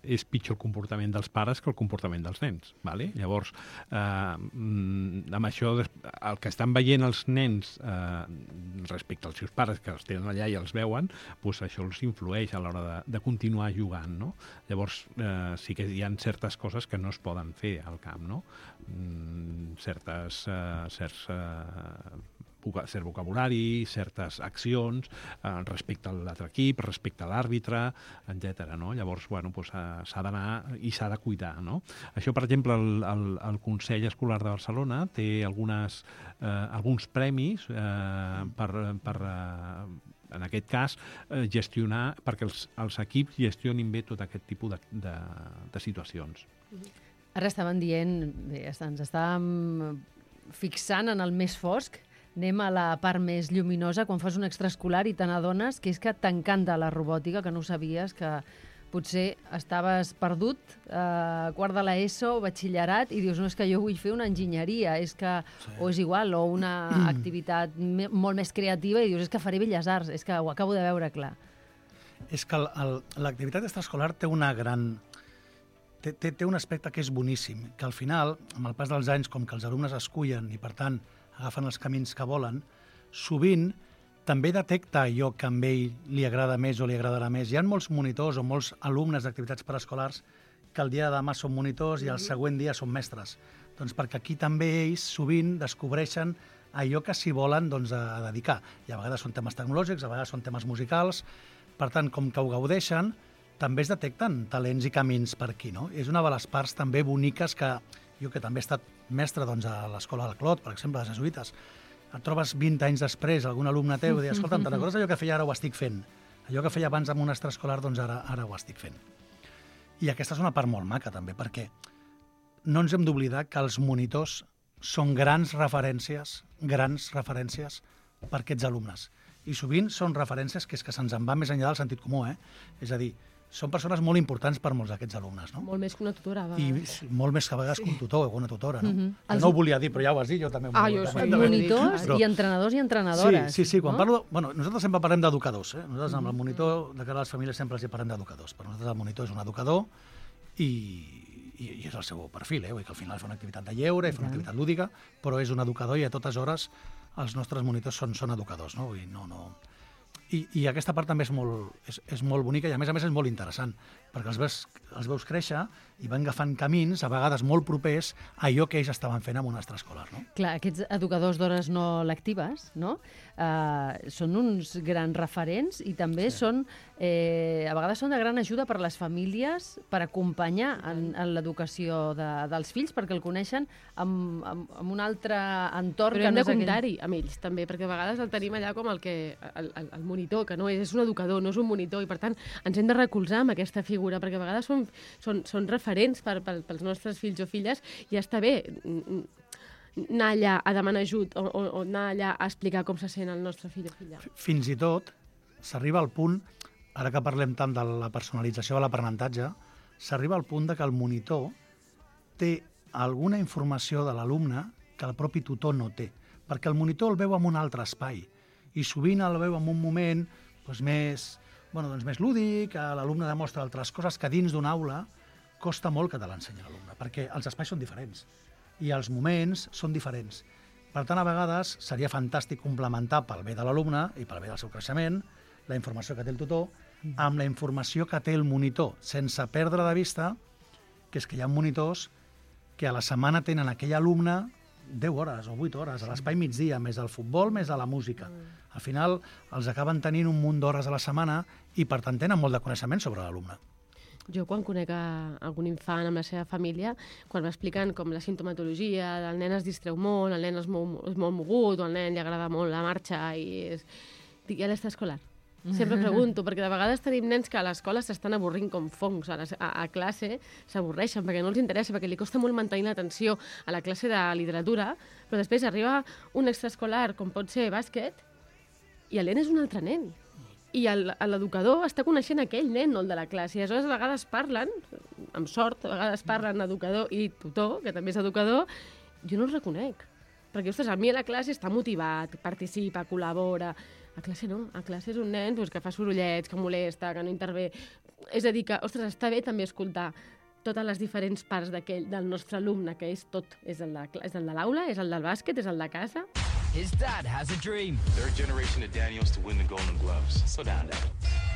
és pitjor el comportament dels pares que el comportament dels nens. ¿Vale? Llavors, amb això, el que estan veient els nens respecte als seus pares, que els tenen allà i els veuen, doncs això els influeix a l'hora de continuar jugant. No? Llavors, sí que hi ha certes coses que no es poden fer al camp, no? Certs cert vocabulari, certes accions respecte a l'altre equip, respecte a l'àrbitre, etc. No? Llavors, bueno, doncs, s'ha d'anar i s'ha de cuidar. No? Això, per exemple, el Consell Escolar de Barcelona té alguns premis per en aquest cas, gestionar, perquè els equips gestionin bé tot aquest tipus de situacions. Ara estaven dient, bé, ens estàvem fixant en el més fosc, anem a la part més lluminosa, quan fas un extraescolar i te n'adones que és que t'encanta la robòtica, que no ho sabies, que potser estaves perdut, quart de l'ESO, batxillerat, i dius, no, és que jo vull fer una enginyeria, o és igual, o una activitat molt més creativa, i dius, és que faré Belles Arts, és que ho acabo de veure clar. És que l'activitat extraescolar té una gran... Té un aspecte que és boníssim, que al final, amb el pas dels anys, com que els alumnes escullen i, per tant, agafen els camins que volen, sovint també detecta allò que a ell li agrada més o li agradarà més. Hi ha molts monitors o molts alumnes d'activitats preescolars que el dia de demà són monitors i el següent dia són mestres. Doncs perquè aquí també ells sovint descobreixen allò que s'hi volen a dedicar. I a vegades són temes tecnològics, a vegades són temes musicals. Per tant, com que ho gaudeixen, també es detecten talents i camins per aquí. No? És una de les parts també boniques que jo, que també he estat mestre a l'escola del Clot, per exemple, a les jesuïtes, et trobes 20 anys després algun alumne teu i dius, escolta'm, te'n recordes allò que feia, ara ho estic fent? Allò que feia abans amb un extraescolar, doncs ara ho estic fent. I aquesta és una part molt maca, també, perquè no ens hem d'oblidar que els monitors són grans referències per aquests alumnes. I sovint són referències que és que se'ns en va més enllà del sentit comú, És a dir, són persones molt importants per molts d'aquests alumnes, no? Molt més que una tutora, a vegades. I molt més que a vegades que un tutor o una tutora, no? Jo no ho volia dir, però ja ho has dit, jo també. Monitors i entrenadors i entrenadores. Sí, quan parlo... Bueno, nosaltres sempre parlem d'educadors, Nosaltres amb el monitor, de cara a les famílies, sempre els parlem d'educadors. Per nosaltres el monitor és un educador i és el seu perfil, Vull dir que al final fa una activitat de lleure, fa una activitat lúdica, però és un educador i a totes hores els nostres monitors són educadors, no? Vull dir, no... I aquesta part també és molt bonica i a més és molt interessant, perquè els veus créixer i van agafant camins, a vegades molt propers, a allò que ells estaven fent en un extraescolar. No? Clar, aquests educadors d'hores no lectives, no? Són uns grans referents i també són, a vegades són de gran ajuda per a les famílies per acompanyar en l'educació dels fills, perquè el coneixen amb un altre entorn. Però hem de comptar-hi amb ells, també, perquè a vegades el tenim allà com el monitor, que no és un educador, no és un monitor, i per tant ens hem de recolzar amb aquesta figura, perquè a vegades són referents pels nostres fills o filles, i està bé anar allà a demanar ajut o anar allà a explicar com se sent el nostre fill o filla. Fins i tot s'arriba al punt, ara que parlem tant de la personalització de l'aprenentatge, s'arriba al punt de que el monitor té alguna informació de l'alumne que el propi tutor no té, perquè el monitor el veu en un altre espai i sovint el veu en un moment més lúdic, l'alumne demostra altres coses que dins d'una aula costa molt que te l'ensenyi l'alumne, perquè els espais són diferents i els moments són diferents. Per tant, a vegades seria fantàstic complementar pel bé de l'alumne i pel bé del seu creixement la informació que té el tutor amb la informació que té el monitor, sense perdre de vista que és que hi ha monitors que a la setmana tenen aquell alumne 10 hores o 8 hores a l'espai migdia, més el futbol, més a la música. Al final els acaben tenint un munt d'hores a la setmana i per tant tenen molt de coneixement sobre l'alumne. Jo, quan conec algun infant amb la seva família, quan m'expliquen com la sintomatologia, el nen es distreu molt, el nen és molt mogut, o al nen li agrada molt la marxa, dic, ja l'està escolar. Sempre pregunto, perquè de vegades tenim nens que a l'escola s'estan avorrint com fongs, a classe s'avorreixen perquè no els interessa, perquè li costa molt mantenir l'atenció a la classe de literatura, però després arriba un extraescolar, com pot ser bàsquet, i el nen és un altre nen. I l'educador està coneixent aquell nen, no el de la classe. I aleshores a vegades parlen, amb sort, a vegades parlen educador i tutor, que també és educador, jo no els reconec. Perquè, ostres, a mi a la classe està motivat, participa, col·labora. A classe no, a classe és un nen que fa sorollets, que molesta, que no intervé. És a dir, que, ostres, està bé també escoltar totes les diferents parts del nostre alumne, que és tot. És el de l'aula, és el del bàsquet, és el de casa. His dad has a dream. Third generation of Daniels to win the Golden Gloves. Slow down, Dad.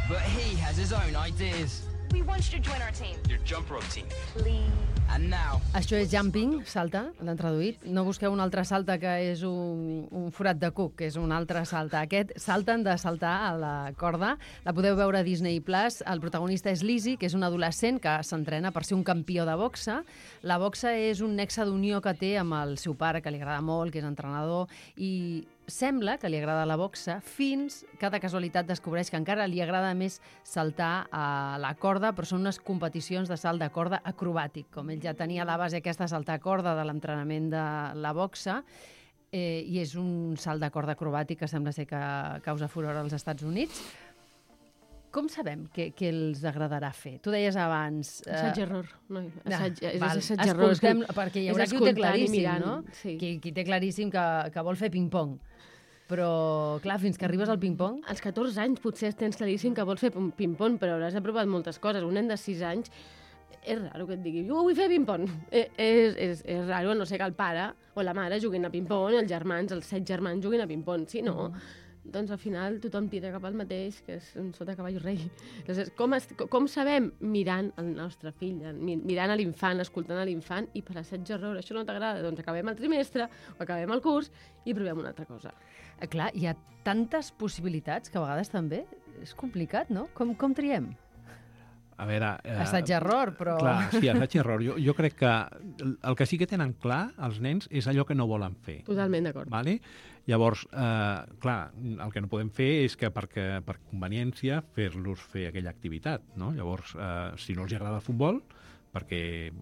But he has his own ideas. We want you to join our team. Your jump rope team. Please. And now. Això és jumping, salta, l'han traduït. No busqueu un altre salta que és un forat de cuc, que és un altre salta. Aquest salten de saltar a la corda. La podeu veure a Disney+. El protagonista és Lizzie, que és un adolescent que s'entrena per ser un campió de boxa. La boxa és un nexe d'unió que té amb el seu pare, que li agrada molt, que és entrenador, i sembla que li agrada la boxa fins que de casualitat descobreix que encara li agrada més saltar a la corda, però són unes competicions de salt de corda acrobàtic. Com ell ja tenia la base aquesta de saltar a corda de l'entrenament de la boxa, i és un salt de corda acrobàtic que sembla ser que causa furor als Estats Units. Com sabem què els agradarà fer? Tu deies abans... Assaig-error. No, assaig-error. Perquè hi haurà qui ho té claríssim, no? Sí. Qui té claríssim que vol fer ping-pong. Però, clar, fins que arribes al ping-pong... Als 14 anys potser tens claríssim que vols fer ping-pong, però hauràs provat moltes coses. Un nen de 6 anys és raro que et digui jo vull fer ping-pong. És raro, no sé que el pare o la mare juguin a ping-pong, els 7 germans juguin a ping-pong. Si no, doncs al final tothom tira cap al mateix, que és un sota cavall rei. Llavors, com sabem? Mirant el nostre fill, mirant a l'infant, escoltant a l'infant, i per assaig-error, això no t'agrada, doncs acabem el trimestre o acabem el curs i provem una altra cosa. Clar, hi ha tantes possibilitats que a vegades també és complicat, no? Com triem? A veure... Assaig-error, però... Clar, sí, assaig-error. Jo crec que el que sí que tenen clar els nens és allò que no volen fer. Totalment d'acord. Vale? Llavors, clar, el que no podem fer és que per conveniència fer-los fer aquella activitat, no? Llavors, si no els agrada el futbol, perquè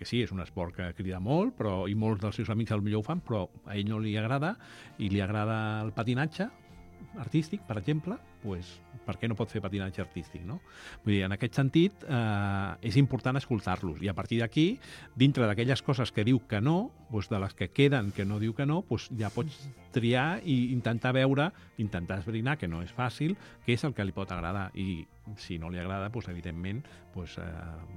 sí, és un esport que crida molt, i molts dels seus amics potser ho fan, però a ell no li agrada, i li agrada el patinatge artístic, per exemple, doncs per què no pot fer patinatge artístic, no? Vull dir, en aquest sentit, és important escoltar-los, i a partir d'aquí, dintre d'aquelles coses que diu que no, doncs de les que queden que no diu que no, doncs ja pots triar i intentar esbrinar, que no és fàcil, què és el que li pot agradar, i si no li agrada, doncs, evidentment, doncs,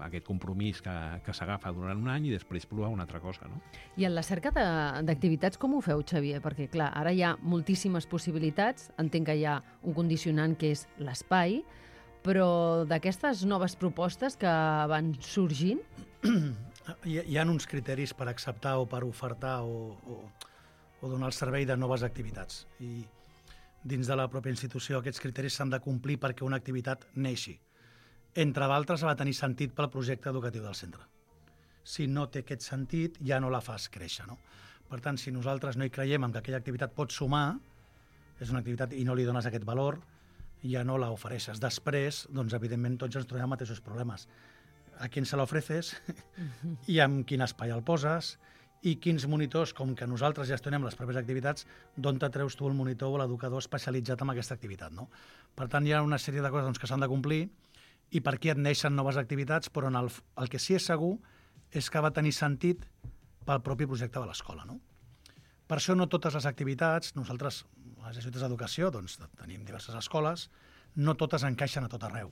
aquest compromís que s'agafa durant un any i després provar una altra cosa, no? I en la cerca d'activitats com ho feu, Xavier? Perquè, clar, ara hi ha moltíssimes possibilitats, entenc que hi ha un condicionant que és l'espai, però d'aquestes noves propostes que van sorgint... Hi ha uns criteris per acceptar o per ofertar o donar el servei de noves activitats. I dins de la pròpia institució aquests criteris s'han de complir perquè una activitat neixi. Entre d'altres, ha de tenir sentit pel projecte educatiu del centre. Si no té aquest sentit, ja no la fas créixer, no? Per tant, si nosaltres no hi creiem que aquella activitat pot sumar, és una activitat i no li dones aquest valor, ja no la ofereixes. Després, doncs, evidentment, tots ens trobem mateixos problemes. A qui se l'ofreces i amb quin espai el poses i quins monitors, com que nosaltres gestionem les properes activitats, d'on te treus tu el monitor o l'educador especialitzat en aquesta activitat, no? Per tant, hi ha una sèrie de coses doncs, que s'han de complir i per aquí et neixen noves activitats, però el que sí és segur és que va tenir sentit pel propi projecte de l'escola, no? Per això no totes les activitats, nosaltres, les instituts d'educació, doncs, tenim diverses escoles, no totes encaixen a tot arreu,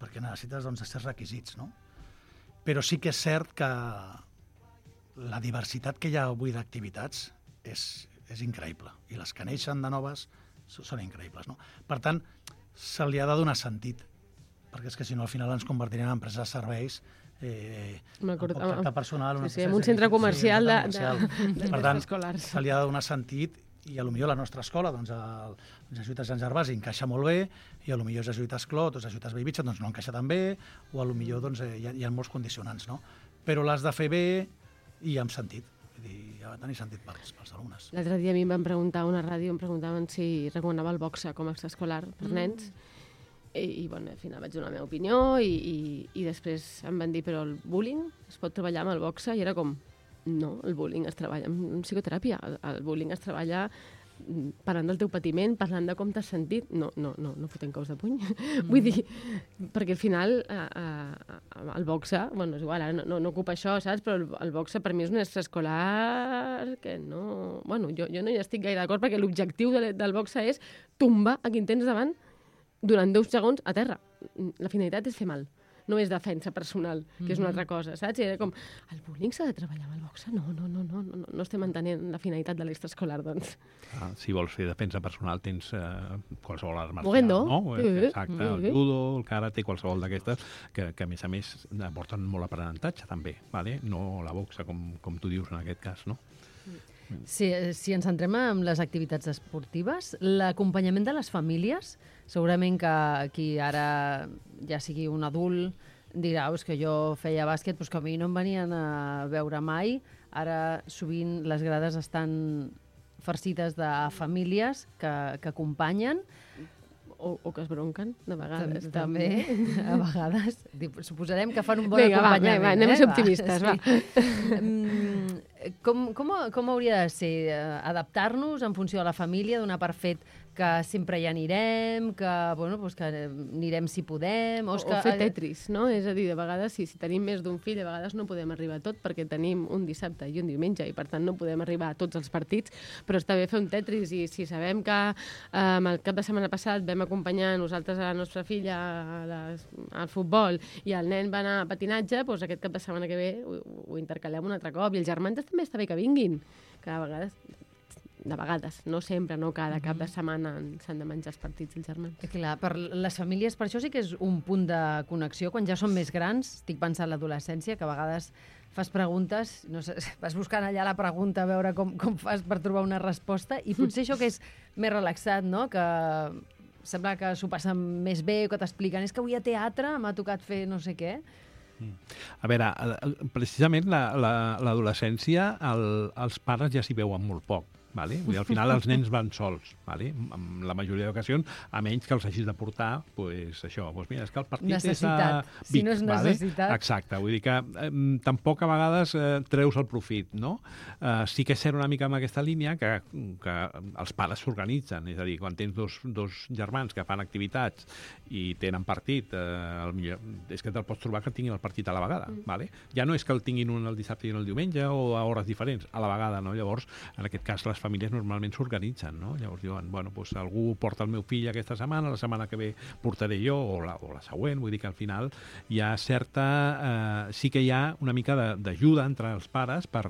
perquè necessites doncs, certs requisits, no? Però sí que és cert que la diversitat que hi ha avui d'activitats és increïble, i les que neixen de noves són increïbles, no? Per tant, se li ha de donar sentit, perquè és que si no al final ens convertirem en empreses de serveis amb poc tracte personal. Sí, en un centre comercial de per tant, se li ha de donar sentit i potser la nostra escola, doncs, els jesuïtes Sant Gervasi encaixa molt bé i potser els jesuïtes Clot o els jesuïtes Bellvitge doncs, no encaixa tan bé o potser doncs, hi ha molts condicionants, no? Però l'has de fer bé i amb sentit. Vull dir, ha de tenir sentit pels alumnes. L'altre dia a mi em van preguntar a una ràdio, em preguntaven si recomanava el boxa com a extraescolar per nens. I bueno, al final vaig donar la meva opinió i després em van dir però el bullying es pot treballar amb el boxa i era com, no, el bullying es treballa amb psicoteràpia, el bullying es treballa parlant del teu patiment, parlant de com t'has sentit, no fotent cops de puny. Vull dir, perquè al final el boxa, bueno, és igual, ara no ocupa això, saps? Però el boxa per mi és un extraescolar que no... Bueno, jo no hi estic gaire d'acord perquè l'objectiu del boxa és tombar a qui tens davant durant 10 segons a terra. La finalitat és fer mal. no és defensa personal, que és una altra cosa, saps? I era com, el bullying s'ha de treballar amb el boxe? No estem entenent la finalitat de l'extraescolar, doncs. Si vols fer defensa personal tens qualsevol art marcial, Moguendo. no? Exacte, el judo, el karate, qualsevol d'aquestes, que a més aporten molt aprenentatge també, vale? No la boxa, com tu dius en aquest cas, no? Si ens centrem en les activitats esportives, l'acompanyament de les famílies, segurament que qui ara ja sigui un adult dirà que jo feia bàsquet, però que a mi no em venien a veure mai. Ara sovint les grades estan farcides de famílies que acompanyen. O que es bronquen, de vegades. També, a vegades. Suposarem que fan un bon acompanyament. Va, anem a ser optimistes, va. Com hauria de ser? Adaptar-nos en funció de la família, donar per fet que sempre hi anirem, que anirem si podem... O fer Tetris, no? És a dir, de vegades, si tenim més d'un fill, a vegades no podem arribar a tot perquè tenim un dissabte i un diumenge i, per tant, no podem arribar a tots els partits, però està bé fer un Tetris i si sabem que el cap de setmana passat vam acompanyar nosaltres a la nostra filla al futbol i el nen va anar a patinatge, doncs aquest cap de setmana que ve ho intercalem un altre cop. I els germans també està bé que vinguin, que a vegades, no sempre, no cada cap de setmana s'han de menjar els partits dels germans. Clar, per les famílies, per això sí que és un punt de connexió. Quan ja són més grans, estic pensant en l'adolescència, que a vegades fas preguntes, no sé, vas buscant allà la pregunta a veure com fas per trobar una resposta, i potser això que és més relaxat, no?, que sembla que s'ho passen més bé, que t'expliquen, és que avui a teatre m'ha tocat fer no sé què. A veure, precisament l'adolescència, els pares ja s'hi veuen molt poc. Vale? Vull dir, al final els nens van sols, vale? En la majoria d'ocasions, a menys que els hagis de portar, doncs això, mira, és que el partit necessitat. És a Vic, si no és necessitat. Vale? Exacte, vull dir que tampoc a vegades treus el profit, no? Sí que és cert una mica amb aquesta línia que els pares s'organitzen, és a dir, quan tens dos germans que fan activitats i tenen partit, millor és que te'l pots trobar que tinguin el partit a la vegada, vale? Ja no és que el tinguin un el dissabte i un el diumenge o a hores diferents, a la vegada, no? Llavors, en aquest cas, les famílies normalment s'organitzen, no? Llavors diuen, doncs algú porta el meu fill aquesta setmana, la setmana que ve portaré jo, o la següent, vull dir que al final hi ha certa... sí que hi ha una mica d'ajuda entre els pares per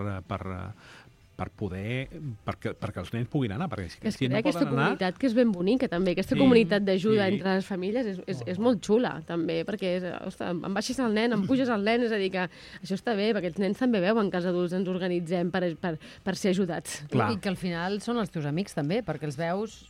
poder... perquè els nens puguin anar, perquè si no aquesta poden anar... comunitat que és ben bonica, també, aquesta comunitat d'ajuda entre les famílies és molt xula, també, perquè em baixes el nen, em puges el nen, és a dir, que això està bé, perquè els nens també veuen que els adults ens organitzem per ser ajudats. Clar. I que al final són els teus amics, també, perquè els veus...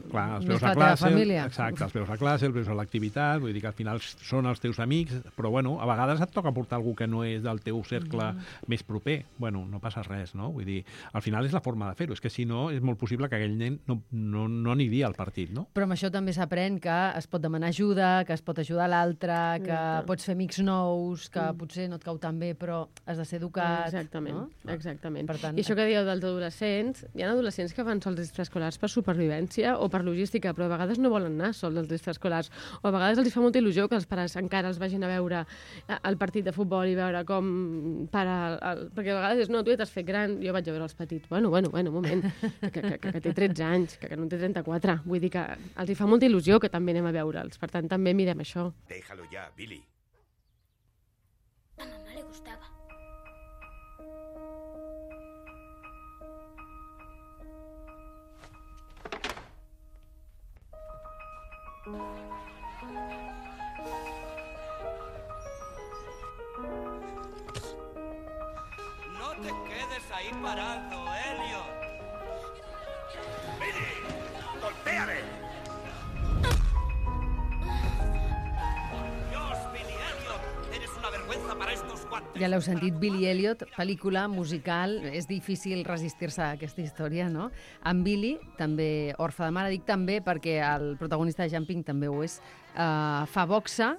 Clar, els veus a classe, exacte, els veus a classe, els veus a l'activitat, vull dir que al final són els teus amics, però bueno, a vegades et toca portar algú que no és del teu cercle més proper. Bueno, no passa res, no? Vull dir, al final és la forma de fer-ho, és que si no és molt possible que aquell nen no aniria al partit, no? Però amb això també s'aprèn que es pot demanar ajuda, que es pot ajudar l'altre, que pots fer amics nous, que potser no et cau tan bé, però has de ser educat. Exactament, no? exactament. Per tant, i això que dieu dels adolescents, hi ha adolescents que fan sols extraescolars per supervivència o per logística, però a vegades no volen anar sols als extraescolars, o a vegades els fa molta il·lusió que els pares encara els vagin a veure el partit de futbol i veure com perquè a vegades és, no, tu ja t'has fet gran, jo vaig a veure els petits. Bueno, un moment, que té 13 anys, que no en té 34. Vull dir que els fa molta il·lusió que també anem a veure'ls. Per tant, també mirem això. Déjalo ya, Billy. A mamá le gustaba. No te quedes ahí parado, Elliot. ¡Billy! ¡Golpéame! Dios, Billy Elliot, eres una vergüenza para estos guantes. Ja l'heu sentit, Billy Elliot, pel·lícula musical, és difícil resistir-se a aquesta història, no? En Billy, també orfe de mare, dic també perquè el protagonista de Jumping també ho és, fa boxa,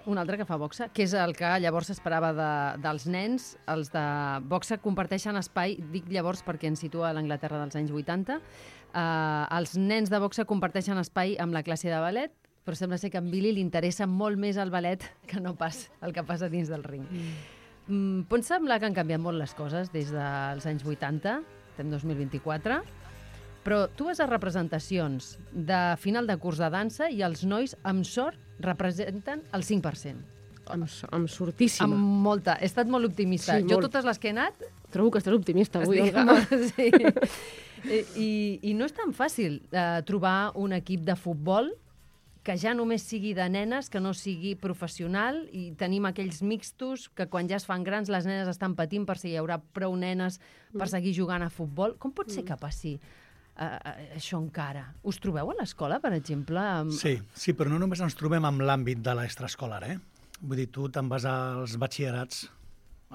un altre que fa boxa, que és el que llavors s'esperava dels nens. Els de boxa comparteixen espai, dic llavors perquè ens situa a l'Anglaterra dels anys 80. Els nens de boxa comparteixen espai amb la classe de ballet, però sembla ser que a en Billy li interessa molt més el ballet que no pas el que passa dins del ring. Pot semblar que han canviat molt les coses des dels anys 80, estem 2024, Però tu vas a representacions de final de curs de dansa i els nois, amb sort, representen el 5%. Amb sortíssima. Amb molta. He estat molt optimista. Sí, jo molt. totes les que he anat... Trobo que estàs optimista avui, Olga. Sí. I no és tan fàcil trobar un equip de futbol que ja només sigui de nenes, que no sigui professional, i tenim aquells mixtos que quan ja es fan grans les nenes estan patint per si hi haurà prou nenes per seguir jugant a futbol. Com pot ser que passi això encara? Us trobeu a l'escola, per exemple? Sí, però no només ens trobem amb l'àmbit de l'extraescolar, Vull dir, tu te'n vas als batxillerats,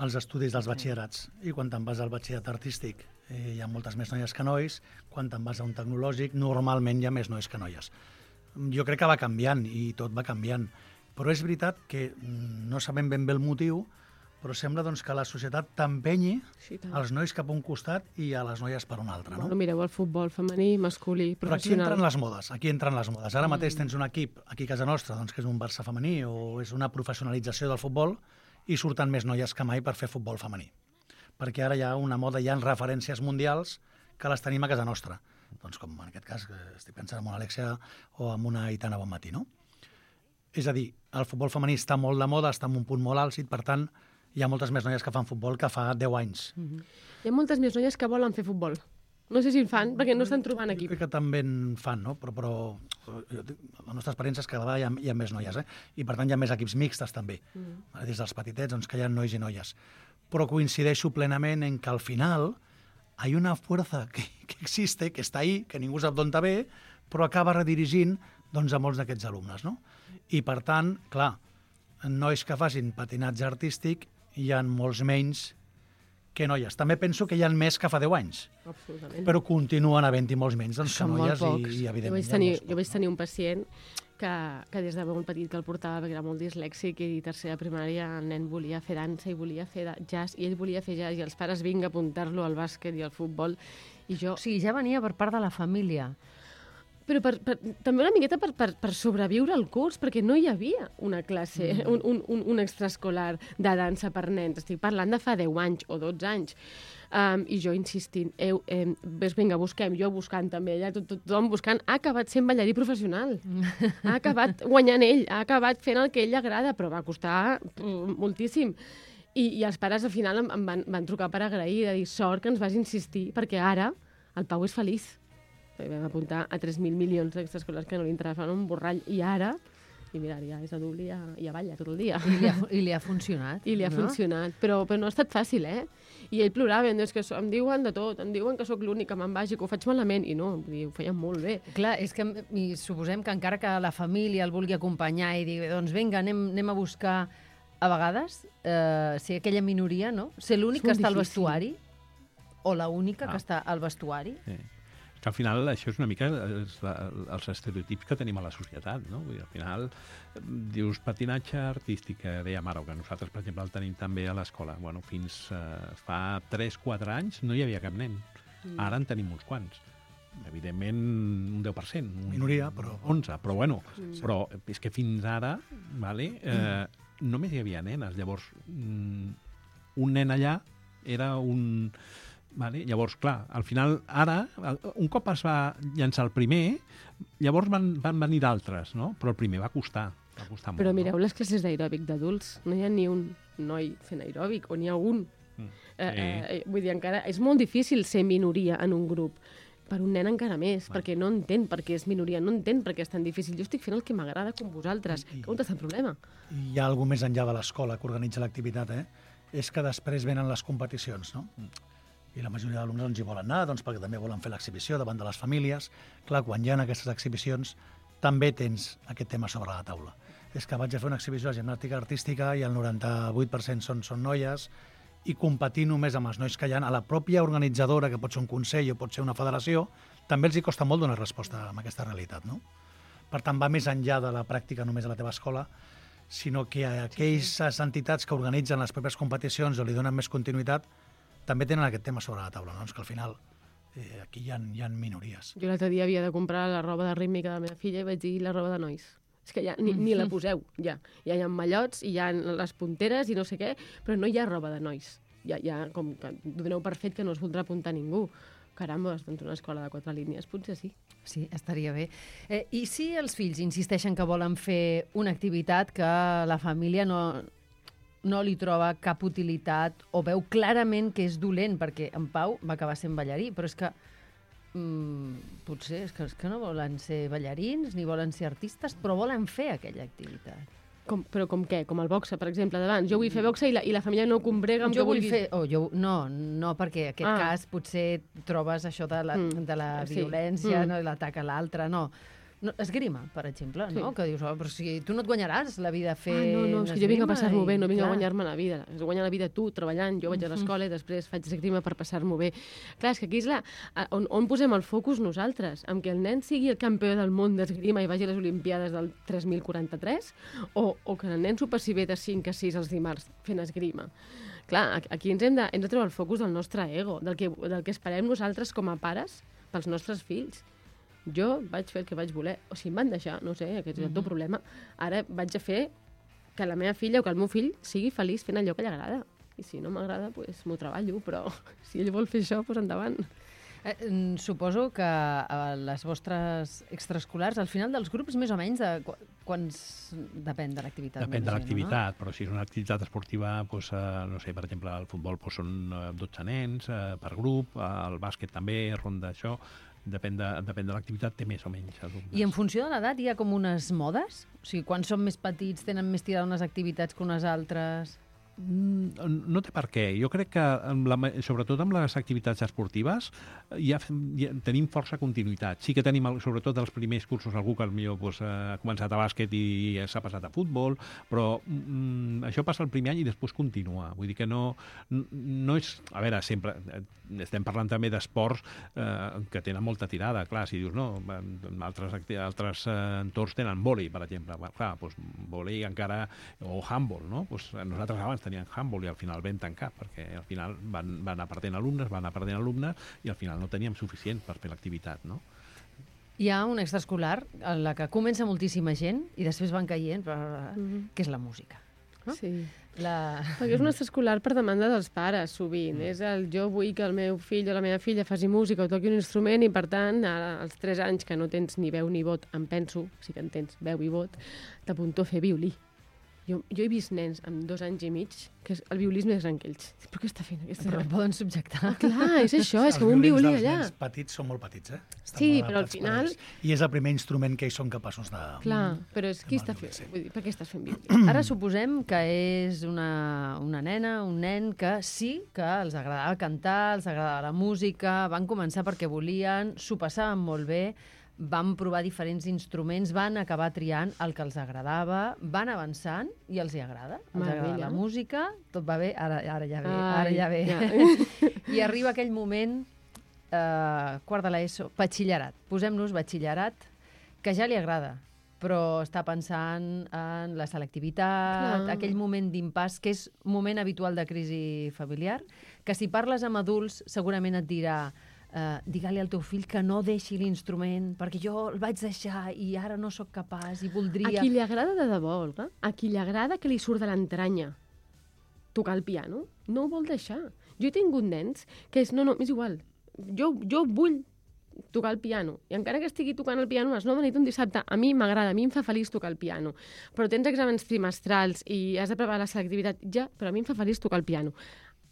als estudis dels batxillerats, i quan te'n vas al batxillerat artístic hi ha moltes més noies que nois, quan te'n vas a un tecnològic normalment hi ha més nois que noies. Jo crec que va canviant, i tot va canviant, però és veritat que no sabem ben bé el motiu, però sembla doncs, que la societat t'empenyi els nois cap a un costat i a les noies per un altre. No? Bueno, mireu el futbol femení, masculí, professional. Però aquí entren les modes. Ara mateix tens un equip aquí a casa nostra, doncs, que és un Barça femení o és una professionalització del futbol, i surten més noies que mai per fer futbol femení. Perquè ara hi ha una moda, hi ha referències mundials que les tenim a casa nostra. Doncs com en aquest cas, que estic pensant en una Alexia o en una Aitana Bonmatí, no? És a dir, el futbol femení està molt de moda, està en un punt molt àlcid, per tant, hi ha moltes més noies que fan futbol que fa 10 anys. Hi ha moltes més noies que volen fer futbol. No sé si en fan, perquè no estan trobant equip. Jo crec que també en fan, no? Però la nostra experiència és que cada vegada hi ha més noies, I per tant hi ha més equips mixtes també. Des dels petitets, doncs, que hi ha nois i noies. Però coincideixo plenament en que al final hi ha una fuerza que existe, que està ahí, que ningú sap d'on ve, però acaba redirigint doncs, a molts d'aquests alumnes, no? I per tant, clar, nois que facin patinatge artístic hi ha molts menys que noies. També penso que hi ha més que fa 10 anys. Absolutament. Però continuen havent-hi molts menys doncs, que noies i evidentment... Jo vaig tenir un pacient que des de molt petit que el portava perquè era molt dislèxic i tercera primària el nen volia fer dansa i volia fer jazz i ell volia fer jazz i els pares vinga a apuntar-lo al bàsquet i al futbol i jo... O sigui, ja venia per part de la família. Però també una miqueta per sobreviure al curs, perquè no hi havia una classe, un extraescolar de dansa per nens. Estic parlant de fa 10 anys o 12 anys. I jo insistint, vinga, busquem, jo buscant també, allà tothom buscant, ha acabat sent ballarí professional. Ha acabat guanyant ell, ha acabat fent el que ell agrada, però va costar moltíssim. I els pares al final em van trucar per agrair, de dir, sort que ens vas insistir, perquè ara el Pau és feliç. Vam apuntar a 3.000 milions d'extraescolars que no li interessaven un borrall, i ara, i mira, ja és adult i ja balla tot el dia. I li ha funcionat. I li ha funcionat, però no ha estat fàcil, I ell plorava, em diu, que em diuen de tot, em diuen que sóc l'únic que me'n vagi, que ho faig malament, i no, ho feien molt bé. Clar, és que suposem que encara que la família el vulgui acompanyar i digui, doncs vinga, anem a buscar, a vegades, ser aquella minoria, no? Ser l'únic que està al vestuari, o l'única que està al vestuari. Sí. Que al final això és una mica els estereotips que tenim a la societat, no? Vull dir, al final dius patinatge artístic, que dèiem ara, que nosaltres, per exemple, el tenim també a l'escola. Bueno, fins fa 3-4 anys no hi havia cap nen. Ara en tenim uns quants. Evidentment, un 10%. Minoria, però... 11, però bueno. Però és que fins ara, només hi havia nenes. Llavors, un nen allà era un... Vale? Llavors, clar, al final, ara, un cop es va llançar el primer, llavors van venir d'altres, no? Però el primer va costar molt. Però mireu les classes d'aeròbic d'adults. No hi ha ni un noi fent aeròbic, o n'hi ha un. Vull dir, encara és molt difícil ser minoria en un grup. Per un nen encara més, perquè no entén per què és minoria, no entén per què és tan difícil. Jo estic fent el que m'agrada com vosaltres. On està el problema? Hi ha alguna més enllà de l'escola que organitza l'activitat, És que després venen les competicions, no? I la majoria d'alumnes doncs, hi volen anar, doncs, perquè també volen fer l'exhibició davant de les famílies. Clar, quan hi ha aquestes exhibicions, també tens aquest tema sobre la taula. És que vaig a fer una exhibició de gimnàstica artística i el 98% són noies, i competir només amb els nois que hi ha, a la pròpia organitzadora, que pot ser un consell o pot ser una federació, també els hi costa molt donar resposta a aquesta realitat, no? Per tant, va més enllà de la pràctica només a la teva escola, sinó que aquelles entitats que organitzen les pròpies competicions o li donen més continuïtat també tenen aquest tema sobre la taula, no? És que al final aquí hi ha minories. Jo l'altre dia havia de comprar la roba de rítmica de la meva filla i vaig dir la roba de nois. És que ja ni la poseu, ja. Ja hi ha mallots i hi ha les punteres i no sé què, però no hi ha roba de nois. Ja com que doneu per fet que no es voldrà apuntar ningú. caramba, doncs una escola de 4 línies, potser sí. Sí, estaria bé. I si els fills insisteixen que volen fer una activitat que la família no li troba cap utilitat o veu clarament que és dolent, perquè en Pau va acabar sent ballarí, però és que potser és que no volen ser ballarins ni volen ser artistes, però volen fer aquella activitat. Però com què? Com el boxe, per exemple, d'abans. Jo vull fer boxe i la família no combrega amb jo que vull vulguis. No, perquè en aquest cas potser trobes això de la violència, no, i l'atac a l'altre, no. Esgrima, per exemple, no? Que dius, però si tu no et guanyaràs la vida a fer no, és que jo vinc a passar-m'ho bé, no vinc a guanyar-me la vida. Has de guanyar la vida tu, treballant, jo vaig a l'escola i després faig esgrima per passar-m'ho bé. Clar, és que aquí és on posem el focus nosaltres, amb que el nen sigui el campió del món d'esgrima i vagi a les Olimpiades del 3043, o que el nen s'ho passi bé de 5 a 6 els dimarts fent esgrima. Clar, aquí ens hem de trobar el focus del nostre ego, del que esperem nosaltres com a pares pels nostres fills. Jo vaig fer el que vaig voler. O si em van deixar, no sé, aquest és el teu problema. Ara vaig a fer que la meva filla o que el meu fill sigui feliç fent allò que li agrada. I si no m'agrada, doncs m'ho treballo, però si ell vol fer això, doncs endavant. Suposo que a les vostres extraescolars, al final dels grups, més o menys, quants depèn de l'activitat? Depèn de l'activitat, però si és una activitat esportiva, doncs, no sé, per exemple, al futbol doncs, són 12 nens per grup, al bàsquet també, ronda això. Depèn de l'activitat, té més o menys alumnes. I en funció de l'edat hi ha com unes modes? O sigui, quan són més petits tenen més tirada unes activitats que unes altres? No té per què. Jo crec que, sobretot amb les activitats esportives, ja tenim força continuïtat. Sí que tenim, sobretot els primers cursos, algú que potser ha començat a bàsquet i s'ha passat a futbol, però això passa el primer any i després continua. Vull dir que no és... A veure, sempre estem parlant també d'esports que tenen molta tirada. Clar, si dius, no, altres entorns tenen vòlei, per exemple. Clar, doncs vòlei encara... o handball, no? Nosaltres abans tenien handball i al final vam tancar, perquè al final van anar perdent alumnes i al final no teníem suficient per fer l'activitat, no? Hi ha una extraescolar en la que comença moltíssima gent i després van caient, que és la música. No? Sí. Perquè és un extraescolar per demanda dels pares, sovint. És jo vull que el meu fill o la meva filla faci música o toqui un instrument i, per tant, als 3 anys que no tens ni veu ni vot, em penso, sí que en tens veu i vot, t'apunto a fer violí. Jo he vist nens amb 2 anys i mig que el violí és més gran que ells. Però què està fent aquesta? Però el poden subjectar. Clar, és això, és com un violí allà. Els violins dels nens petits són molt petits, Sí, però al final... I és el primer instrument que ells són capaços de... Clar, però és qui està fent? Vull dir, per què estàs fent violí? Ara suposem que és una nena, un nen que sí que els agradava cantar, els agradava la música, van començar perquè volien, s'ho passaven molt bé, van provar diferents instruments, van acabar triant el que els agradava, van avançant i els hi agrada. Els agrada la música, tot va bé, ara ja ve. I arriba aquell moment, quart de l'ESO, batxillerat. Posem-nos batxillerat, que ja li agrada, però està pensant en la selectivitat, aquell moment d'impàs, que és un moment habitual de crisi familiar, que si parles amb adults segurament et dirà digue-li al teu fill que no deixi l'instrument, perquè jo el vaig deixar i ara no sóc capaç i voldria... A qui li agrada de debò, Olga, a qui li agrada que li surt de l'entranya tocar el piano, no ho vol deixar. Jo he tingut nens que és, no, és igual, jo vull tocar el piano, i encara que estigui tocant el piano a les 9 de nit un dissabte, a mi m'agrada, a mi em fa feliç tocar el piano, però tens exàmens trimestrals i has de preparar la selectivitat, ja, però a mi em fa feliç tocar el piano.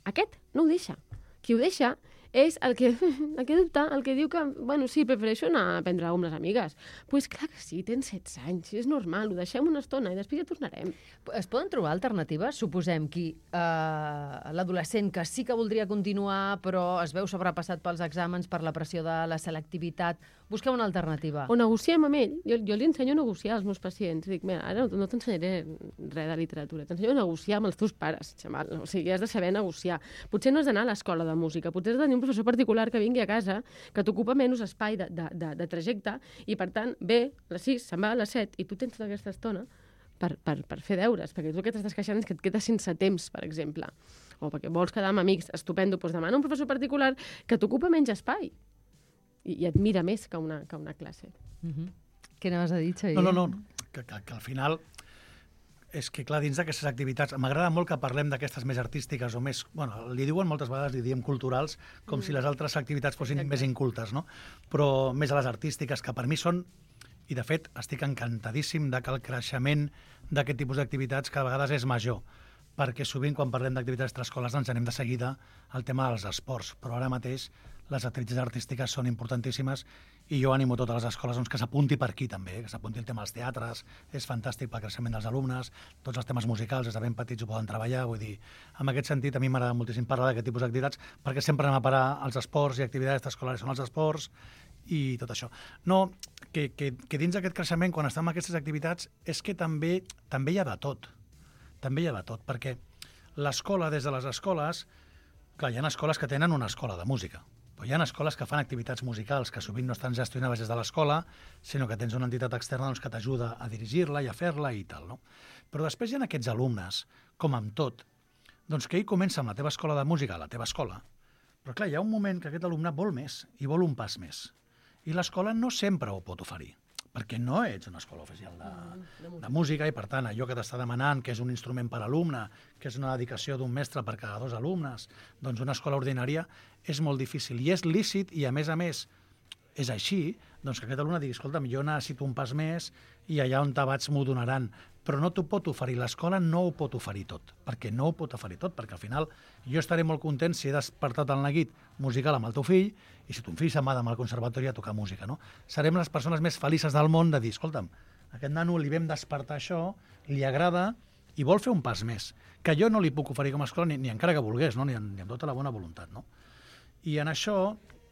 Aquest no ho deixa. Qui ho deixa és el que dubta, el que diu que, bueno, sí, prefereixo anar a prendre amb les amigues. Doncs clar que sí, tens 16 anys, és normal, ho deixem una estona i després ja tornarem. Es poden trobar alternatives? Suposem que l'adolescent que sí que voldria continuar però es veu sobrepassat pels exàmens, per la pressió de la selectivitat, busqueu una alternativa. O negociem amb ell. Jo li ensenyo a negociar als meus pacients. Dic, mira, ara no t'ensenyaré res de literatura, t'ensenyo a negociar amb els teus pares, xaval. O sigui, has de saber negociar. Potser no has d'anar a l'escola de música, potser has de tenir un professor particular que vingui a casa, que t'ocupa menys espai de trajecte, i per tant ve a les 6, se'n va a les 7, i tu tens tota aquesta estona per fer deures, perquè tu el que t'estàs queixant és que et quedes sense temps, per exemple, o perquè vols quedar amb amics, estupendo, doncs demana un professor particular que t'ocupa menys espai i et mira més que una classe. Què anaves a dir, Xavier? No, que al final és que, clar, dins d'aquestes activitats, m'agrada molt que parlem d'aquestes més artístiques o més, bueno, li diuen moltes vegades, li diem culturals, com si les altres activitats fossin més incultes, no? Però més a les artístiques, que per mi són, i de fet estic encantadíssim de que el creixement d'aquest tipus d'activitats cada vegada és major, perquè sovint quan parlem d'activitats extraescolars ens anem de seguida al tema dels esports, però ara mateix les activitats artístiques són importantíssimes i jo animo totes les escoles doncs, que s'apunti per aquí també, que s'apunti el tema dels teatres, és fantàstic pel creixement dels alumnes, tots els temes musicals des de ben petits ho poden treballar, vull dir, en aquest sentit a mi m'agrada moltíssim parlar d'aquest tipus d'activitats perquè sempre anem a parar als esports i activitats extraescolars són els esports i tot això. No, que dins d'aquest creixement, quan estem en aquestes activitats, és que també hi ha de tot. També hi ha de tot, perquè l'escola, des de les escoles, clar, hi ha escoles que tenen una escola de música, però hi ha escoles que fan activitats musicals que sovint no estan gestionades des de l'escola, sinó que tens una entitat externa doncs, que t'ajuda a dirigir-la i a fer-la i tal, no? Però després hi ha aquests alumnes, com amb tot, doncs que ell comença amb la teva escola de música, a la teva escola, però clar, hi ha un moment que aquest alumne vol més i vol un pas més. I l'escola no sempre ho pot oferir, perquè no ets una escola oficial de música i, per tant, allò que t'està demanant, que és un instrument per alumne, que és una dedicació d'un mestre per cada 2 alumnes, doncs una escola ordinària és molt difícil. I és lícit, i a més, és així, doncs que aquest alumne digui, escolta'm, jo necessito un pas més i allà on te vaig m'ho donaran. Però no t'ho pot oferir, l'escola no ho pot oferir tot, perquè no ho pot oferir tot, perquè al final jo estaré molt content si he despertat el neguit musical amb el teu fill i si ton fill se'n va demà al conservatori a tocar música, no? Serem les persones més felices del món de dir, escolta'm, a aquest nano li vam despertar això, li agrada i vol fer un pas més, que jo no li puc oferir com a escola ni encara que volgués, no? ni amb tota la bona voluntat, no? I en això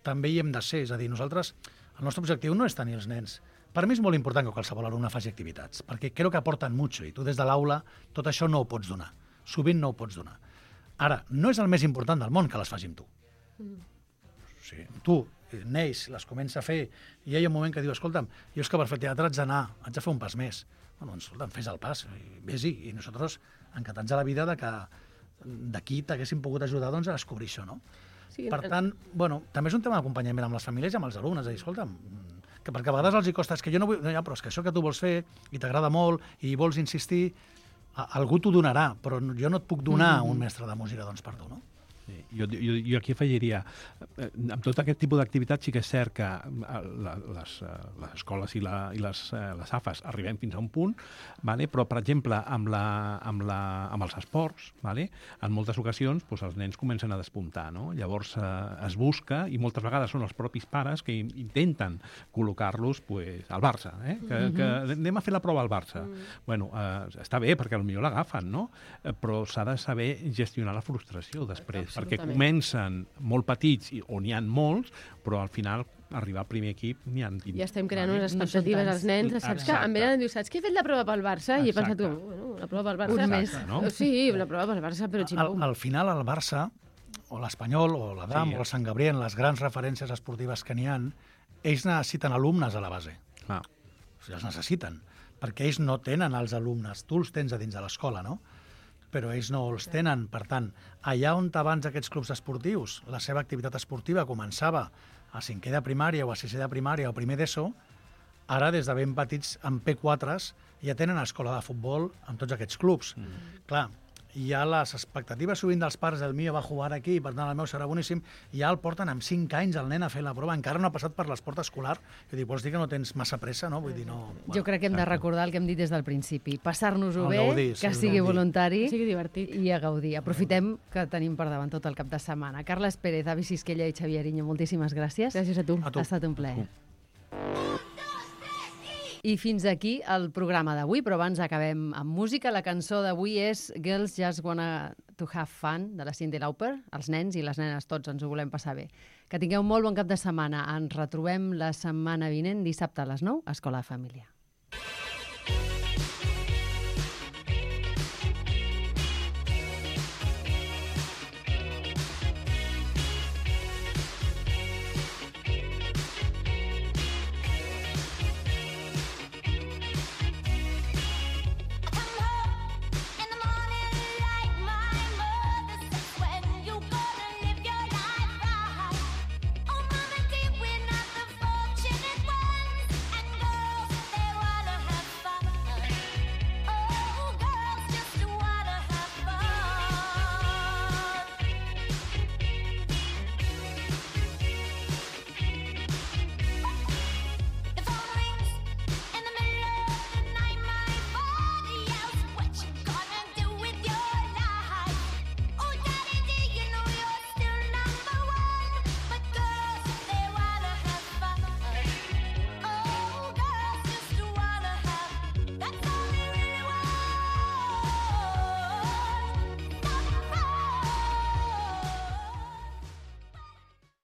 també hi hem de ser, és a dir, nosaltres, el nostre objectiu no és tenir els nens. Per mi és molt important que qualsevol alumne faci activitats, perquè crec que aporten molt i tu des de l'aula tot això no ho pots donar. Sovint no ho pots donar. Ara, no és el més important del món que les faci amb tu. O sigui, tu neix, les comença a fer, i hi ha un moment que diu, escolta'm, jo és que per fer teatre haig de fer un pas més. Bueno, doncs, escolta'm, fes el pas, vés-hi. I nosaltres, encantats a la vida de que d'aquí t'haguéssim pogut ajudar doncs, a descobrir això, no? Sí, per tant, bueno, també és un tema d'acompanyament amb les famílies i amb els alumnes, de dir, escolta'm, que perquè a vegades els hi costa, és que jo no vull... No, ja, però és que això que tu vols fer i t'agrada molt i vols insistir, algú t'ho donarà, però jo no et puc donar un mestre de música doncs, per tu, no? Sí, jo aquí afegiria, amb tot aquest tipus d'activitat sí que és cert que les escoles i les AFAs arribem fins a un punt, vale? Però, per exemple, amb els esports, vale? En moltes ocasions doncs, els nens comencen a despuntar, no? Llavors es busca, i moltes vegades són els propis pares que intenten col·locar-los pues, al Barça, que anem a fer la prova al Barça. Bueno, està bé, perquè potser l'agafen, no? Però s'ha de saber gestionar la frustració després, perquè comencen molt petits, on n'hi ha molts, però al final arribar al primer equip n'hi ha 20. Ja estem creant unes expectatives als nens. Saps que em venen a dir, saps que he fet la prova pel Barça? I he pensat, bueno, la prova pel Barça... Un mes. No? Sí, la prova pel Barça, però ximpum. Al final, el Barça, o l'Espanyol, o l'Adam, o el Sant Gabriel, les grans referències esportives que n'hi ha, ells necessiten alumnes a la base. O sigui, els necessiten, perquè ells no tenen els alumnes. Tu els tens a dins de l'escola, no? Però ells no els tenen. Per tant, allà on abans aquests clubs esportius, la seva activitat esportiva començava a 5è de primària o a 6è de primària o primer d'ESO, ara des de ben petits, amb P4s, ja tenen escola de futbol amb tots aquests clubs. Clar, hi ha les expectatives sovint dels pares, el meu va jugar aquí, per tant el meu serà boníssim, i ja el porten amb 5 anys el nen a fer la prova, encara no ha passat per l'esport escolar, i dic, vols dir que no tens massa pressa, no? Vull dir, no... Jo crec que hem de recordar el que hem dit des del principi, passar-nos-ho bé, que sigui voluntari i a gaudir. Aprofitem que tenim per davant tot el cap de setmana. Carles Pérez, Avi Sisquella i Xavier Ariño, moltíssimes gràcies. Gràcies a tu. Ha estat un plaer. I fins aquí el programa d'avui, però abans acabem amb música. La cançó d'avui és Girls Just Wanna to Have Fun, de la Cyndi Lauper. Els nens i les nenes tots ens ho volem passar bé. Que tingueu un molt bon cap de setmana. Ens retrobem la setmana vinent, dissabte a les 9, a Escola de Família.